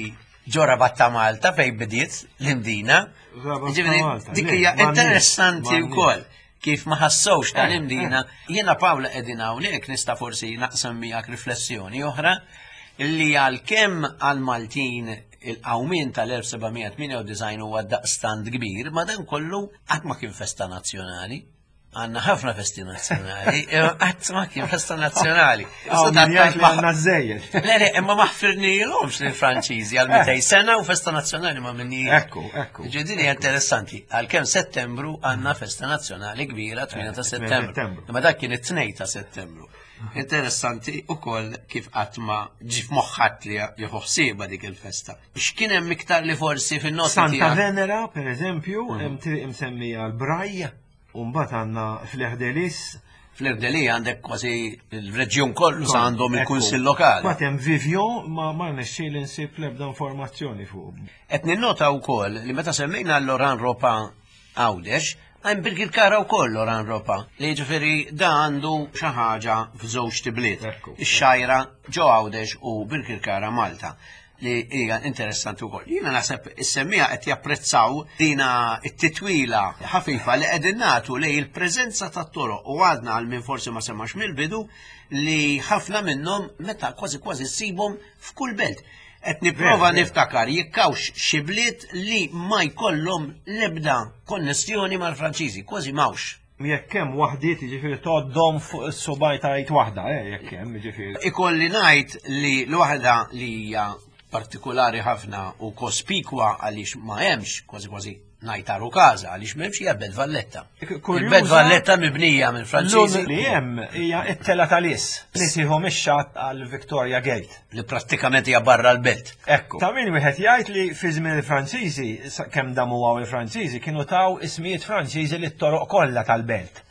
ġo Rabat ta' Malta fejn bdiet l-Imdina. Rabat ta' Ġifieri, Malta, Dik le, hija m'għandniex, interessanti m'għandniex. wkoll kif ma ħassewx tal-Imdina. Jiena Pawla qegħdin hawnhekk nista' forsi naqsam miegħek riflessjoni oħra li għalkemm għal-Maltin il-qawmien tal-1798 huwa daqstant kbir, ma dan kollu qatt ma kien festa nazzjonali. Għanna ħafna festi nazzjonali, imma qatt ma kien festa nazzjonali. Hawn min jgħid li għandna żejjed. Le, le, imma ma ħfirnilhomx lill-Franċiżi għal 200 sena u festa nazzjonali ma minni. Ekku, ekku. Ġedini hija interessanti, għalkemm settembru għandna festa nazzjonali kbira 8 ta' 8 settembru. settembru. Imma dak kien it-2 ta' settembru. Interessanti ukoll kif qatt ma ġie f'moħħat li jieħu ħsiebha dik il-festa. X'kien hemm iktar li forsi fin-noti Santa tiegħek? Venera, per eżempju, hemm triq imsemmija l-Braj, u mbagħad għandna fl-Eħdelis. Fl-Irdelija għandek kważi il-reġjun kollu sa għandhom Ekku. il-kunsill lokali. Mbagħad hemm Vivion ma ma rnexxieli nsib l-ebda informazzjoni fuq. Qed ninnota wkoll li meta semmejna l-Loran Ropa Għawdex, hemm Birkirkara wkoll Loran Ropa li jiġifieri da għandu xi ħaġa f'żewġ tibliet. Ekku. Ix-Xgħajra ġo Għawdex u Birkirkara Malta li hija interessanti wkoll. Jiena naħseb is-semmija qed japprezzaw dina t-titwila ħafifa li qegħdin nagħtu lej il-preżenza tat-toroq u għadna għal min forsi ma semax mill-bidu li ħafna minnhom meta kważi kważi ssibhom f'kull belt. Qed nipprova Vera, vera. niftakar jekk hawnx xi bliet li ma jkollhom l-ebda konnessjoni mal-Franċiżi, kważi m'hawnx. Jekk hemm waħdiet jiġifieri tgħoddhom fuq is-subaj ta' jgħid waħda, eh, jekk hemm jiġifieri. Ikolli ngħid li l-waħda li hija partikolari ħafna u kospikwa għaliex ma hemmx kważi kważi ngħid għaru każa għaliex m'hemmx hija Belt Valletta. Kurjuża- Il-Belt Valletta mibnija minn Franċiżi L-un li hemm hija t-tela tal-is li tieħu mix-xatt għal Victoria Gate. li prattikament hija barra l-belt. Ekku. Ta' min wieħed jgħid li fi żmien il-Franċiżi, kemm damu hawn il-Franċiżi, kienu taw ismijiet Franċiżi lit-toroq kollha tal-belt.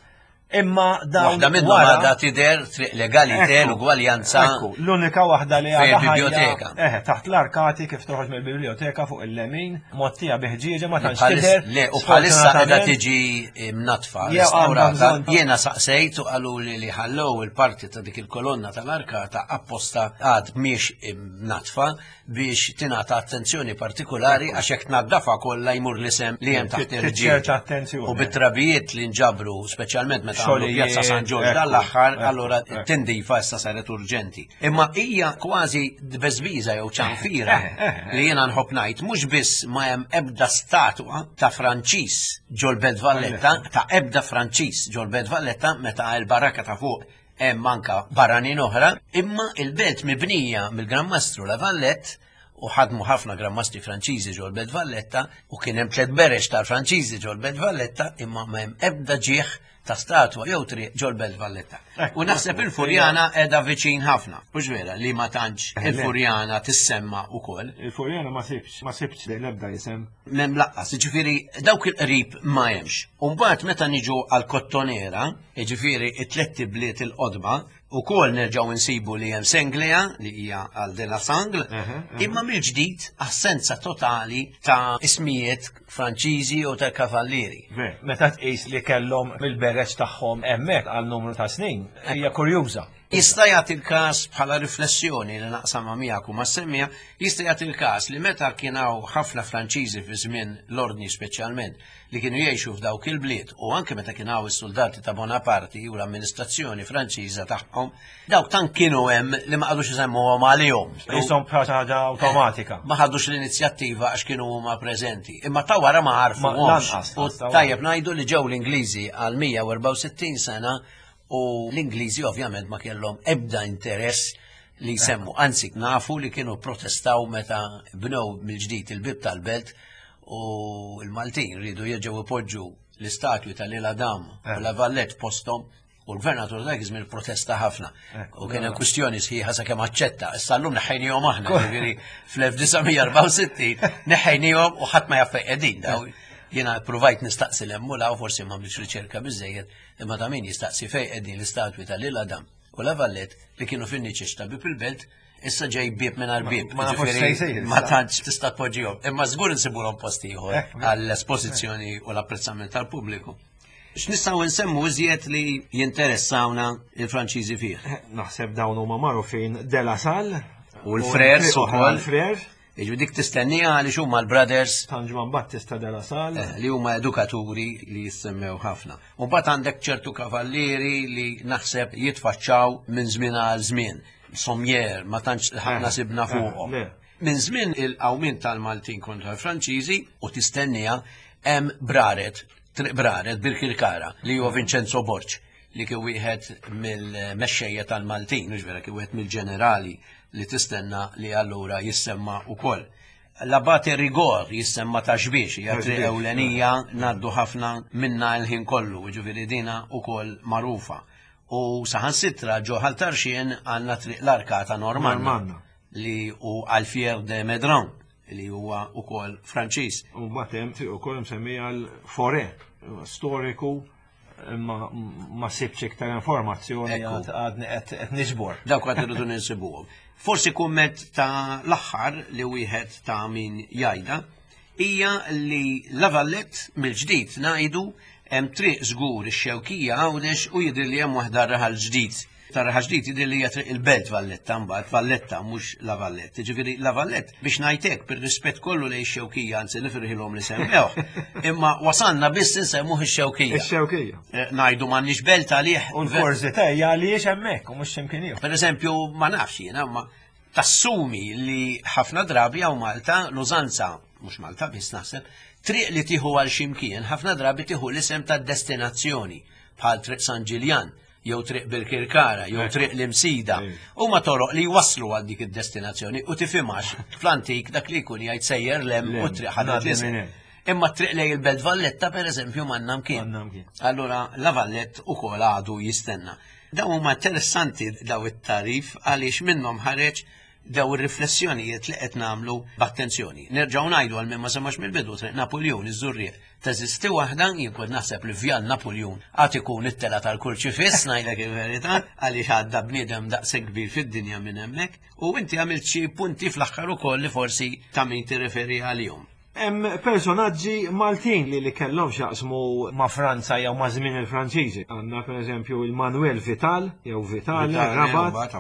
Imma dawn Waħda minnhom wara- għadha tidher triq legalité Ekku, l-ugwaljanza. Ekku, l-unika waħda li Fejn għadha ħajja- biblioteka. Eħe, taħt l-arkati kif toħroġ mill-biblioteka fuq il-lemin, mottija biħġieġa ma tantx Bħalis- tidher. Le, u bħalissa qiegħda sfortunatament. tiġi mnatfa, Jew għandha restaurata. bżonn- Jiena saqsejt u qalu li li ħallew il-parti ta' dik il-kolonna tal-arkata apposta għad mhix mnatfa biex tingħata attenzjoni partikolari għax jekk tnaddafa kollha jmur l-isem li hemm taħt Trid il-ġieġ. ċerta attenzjoni. U bit-trabijiet li nġabru, speċjalment meta għamlu Xogħlijiet, Pjazza San Ġorġ ekku, dal-aħħar, ekku, allura ekku. tindifa issa saret urġenti. Imma hija kważi dbeżbiża jew ċanfira li jiena nħobb ngħid mhux biss ma hemm ebda statwa ta' Franċiż ġol-Belt Valletta, ta' ebda Franċiż ġol-Belt Valletta meta l-baraka ta' fuq hemm anka barranin oħra, imma il-belt mibnija mill-Gran Mastru La Vallette u ħadmu ħafna Gran Mastri Franċiżi ġol-Belt Valletta u kien hemm tliet berex tal-Franċiżi ġol-Belt Valletta imma ma hemm ebda ġieħ ta' statwa jew triq ġol-Belt Valletta. Ekku, U naħseb ekku. il-Furjana qiegħda viċin ħafna. Mhux vera li ma tantx Le. il-Furjana tissemma wkoll. Il-Furjana ma sibx, ma sibx l-ebda isem. Mem laqqas, ġifieri dawk il-qrib ma hemmx. U mbagħad meta niġu għal Kottonera, jiġifieri it-tliet bliet il-qodma, ukoll nerġgħu nsibu li hemm Senglea li hija għal de la Sangle, imma mill-ġdid assenza totali ta' ismijiet Franċiżi u ta' kavallieri. Ver. Meta tqis li kellhom il-bereġ tagħhom hemmhekk għal numru ta' snin, hija kurjuża. Jista' jagħti l-każ bħala riflessjoni li naqsam ma' miegħek u ma' semmija, jista' jagħti l-każ li meta kien hawn ħafna Franċiżi fi żmien l-ordni speċjalment li kienu jgħixu f'dawk il-bliet u anke meta kien hawn is-soldati ta' Bonaparte u l-amministrazzjoni Franċiża tagħhom, dawk tant kienu hemm li ma qagħdux isemmuhom għalihom. Qishom bħala xi ħaġa awtomatika. Ma ħadux l-inizjattiva għax kienu huma preżenti. Imma ta' wara ma għarfuhomx. Ma lanqas, U ta' wara. tajjeb ngħidu li ġew l-Ingliżi għal 164 sena u l-Ingliżi ovvjament ma kellhom ebda interess li jsemmu. Anzi, nafu li kienu protestaw meta bnew mill-ġdid il-bib tal-belt u l-Maltin rridu jerġgħu ipoġġu l-istatwi tal-Ila Dam u la Vallet postom u l-gvernatur dak iż-żmien protesta ħafna. U kien hemm kwistjoni sħiħa sakemm aċċetta. Issa llum neħħejnihom aħna, ġifieri fl-1964 neħħejnihom u ħadd ma jaf fejn qegħdin daw. Jiena provajt nistaqsi l-emmula u forsi ma riċerka biżejjed, imma ta' min jistaqsi fejn qegħdin l-istatwi ta' Lil Adam u La Vallet li kienu fin-niċeċ ta' Bib il-Belt, issa ġej bib minn bib. Ma tantx tista' tpoġġihom. Imma żgur insibulhom post ieħor għall-espożizzjoni u l-apprezzament tal-pubbliku. X'nistgħu nsemmu iżjed li jinteressawna il-Franċiżi fih? Naħseb dawn huma magħrufin De La Salle u l-Frers ukoll. Il-Frers. Iġu dik tistennija għaliex huma l-Brothers. San Ġwan Battista de la Salle. Li huma edukaturi li jissemmew ħafna. U mbagħad għandek ċertu kavallieri li naħseb jitfaċċaw minn żmien għal żmien. Sommier, ma tantx ħafna sibna fuqhom. Minn żmien il-qawmien tal-Maltin kontra l-Franċiżi u tistennija hemm Braret, Triq Braret Birkirkara li huwa Vincenzo Borg li kien wieħed mill-mexxejja tal-Maltin, mhux vera kien wieħed mill-ġenerali li tistenna li allura jissemma wkoll. L-Abate Rigor jissemma ta' xbiex, hija triq ewlenija ngħaddu ħafna minna l-ħin kollu, jiġifieri dina wkoll magħrufa. U saħansitra ġo Ħal Tarxien għandna triq l-Arkata Normanna li hu Alfier de Medran li huwa wkoll Franċiż. U mbagħad hemm triq ukoll msemmija l-Forêt, storiku imma ma sibx iktar informazzjoni għadni qed niġbor. Dawk għad irridu ninsibuhom. Forsi kumment ta' l-aħħar li wieħed ta' min jgħidha hija li La Vallette mill-ġdid ngħidu hemm triq żgur ix-Xewkija Għawdex u jidher li hemm waħda raħal ġdid. Ta' raħal ġdid jidher li hija triq il-Belt Valletta mbagħad Valletta mhux La Vallette. Jiġifieri La Vallette biex ngħid hekk bir-rispett kollu lejn ix-Xewkija anzi nifirħilhom li semmewh, imma wasalna biss insemmuh ix-Xewkija. Ix-Xewkija. Ngħidu m'għandniex belt għalih. U l-kurżità hija għaliex hemmhekk u mhux x'imkien ieħor. Pereżempju ma nafx jiena ma tassumi li ħafna drabi hawn Malta l-użanza, mhux Malta biss naħseb, triq li tieħu għal x'imkien ħafna drabi tieħu l-isem tad-destinazzjoni bħal Triq San Ġiljan jew Triq Birkirkara, jew Triq l-Imsida. Huma toroq li jwasslu għal dik id-destinazzjoni u tifhimax fl-antik dak li jkun jgħid sejjer lem u triq ħadet l-isem. Imma triq lej il-Belt Valletta per eżempju m'għandna mkien. Allura La Vallette ukoll għadu jistenna. Daw huma interessanti daw it-tarif għaliex minnhom ħareġ daw ir-riflessjonijiet li qed nagħmlu b'attenzjoni. Nerġgħu ngħidu għal min ma semax mill-bidu Triq Napuljun iż-Żurrieq. Teżisti waħda, jien kont naħseb li Vjal Napuljun għad ikun it-tela tal-kurċifiss ngħidlek il-verità għaliex għadda bniedem daqshekk kbir fid-dinja minn hemmhekk u inti għamilt xi punti fl-aħħar ukoll li forsi ta' min tirreferi għalihom. Hemm personaġġi Maltin li li kellhom x'jaqsmu ma' Franza jew ma' żmien il-Franċiżi. Għandna pereżempju il-Manuel Vital jew Vitale Rabat.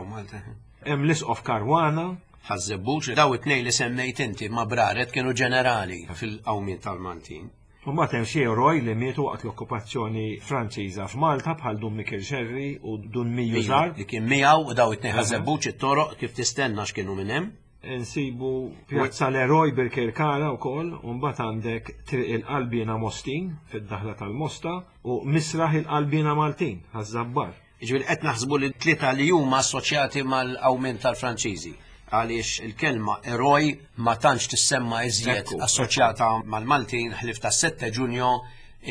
Hemm l-Isqof Caruana. Ħaż-Żebbuġ, daw it-tnejn li semmejt inti ma' Braret kienu ġenerali fil-qawmien tal-Maltin. U mbagħad hemm xi eroj li mietu waqt l-okkupazzjoni Franċiża f'Malta bħal Dun Mikiel Xerri u Dun Miju Zarb. Li kien miegħu u daw it-tnejn Ħaż-Żebbuġ it-toroq kif tistenna x'kienu minn hemm. Insibu Pjazza l-Eroj Birkirkara wkoll, u mbagħad għandek Triq il-Qalbiena Mostin fid-daħla tal-Mosta u Misraħ il-Qalbiena Maltin, Ħaż-Żabbar. Jiġifieri qed naħsbu li t-tlieta li huma assoċjati mal-qawmien tal-Franċiżi għaliex il-kelma eroj ma tantx tissemma iżjed assoċjata mal-Maltin ħlief tas-Sette Ġunjo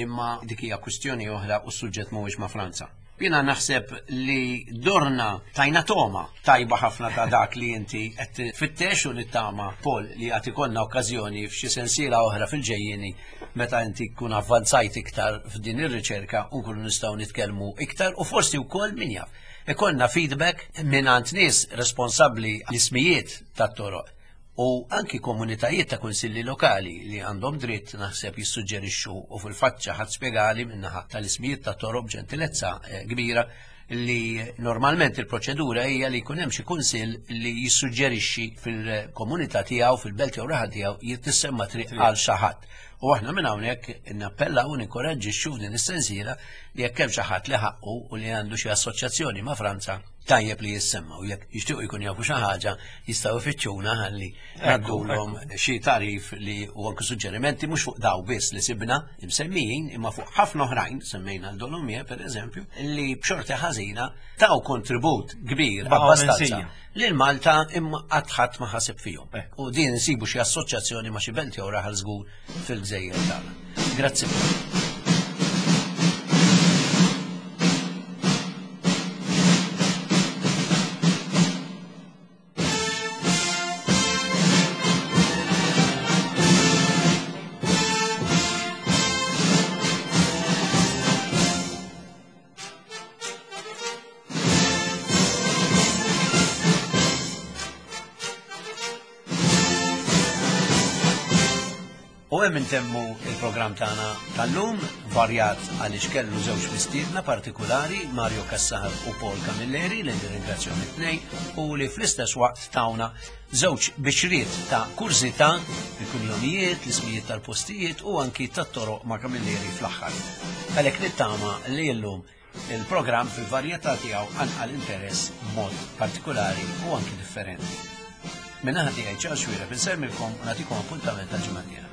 imma dik hija kwistjoni oħra u s-suġġett mhuwiex ma' Franza. Jiena naħseb li dorna tajna toma tajba ħafna ta' dak li inti qed tfittex u nittama Paul li għad ikollna okkażjoni f'xi sensiela oħra fil-ġejjieni meta inti tkun avvanzajt iktar f'din ir-riċerka u nkunu nistgħu nitkellmu iktar u forsi wkoll min jaf ikollna feedback mingħand nies responsabbli l-ismijiet tat-toroq u anki komunitajiet ta' kunsilli lokali li għandhom dritt naħseb jissuġġerixxu u fil-fatt xi ħadd spjegali min-naħa tal-ismijiet ta' toroq b'ġentilezza eh, kbira li normalment il-proċedura hija li jkun hemm xi kunsill li jissuġġerixxi fil-komunità tiegħu fil-belt jew raħal tiegħu jittissemma triq għal xi ħadd. U aħna minn hawnhekk nappellaw u ninkoraġġixxu f'din is-sensiela li jekk hemm xi ħadd li ħaqqu u li għandu xi assoċjazzjoni ma' Franza tajjeb li jissemma u jekk jixtiequ jkun jafu xi ħaġa jistgħu jfittxuna ħalli ngħaddulhom xi tagħrif li u anke suġġerimenti mhux fuq daw biss li sibna imsemmijin imma fuq ħafna oħrajn semmejna l-Dolomie pereżempju li b'xorti ħażina taw kontribut kbir abbastanza lil Malta imma qatt ħadd ma ħaseb fihom. U din insibu xi assoċjazzjoni ma' xi belt jew raħal żgur fil-gżejjer tagħna. Grazzi. hemm intemmu il-programm tagħna tal-lum, varjat għaliex kellu żewġ mistiedna partikulari, Mario Cassar u Paul Camilleri, li nirringrazzjahom it-tnejn, u li fl-istess waqt tawna żewġ bixriet ta' kurżità, il-kunjomijiet, l-ismijiet tal-postijiet u anki tat-toroq ma' Camilleri fl-aħħar. Għalhekk nittama li llum Il-programm fil-varjetà tiegħu qanqal interess b'mod partikulari u anki differenti. Min-naħa tiegħi Charles Xuereb insellmilkom u nagħtikom appuntament għall-ġimgħa d-dieħla.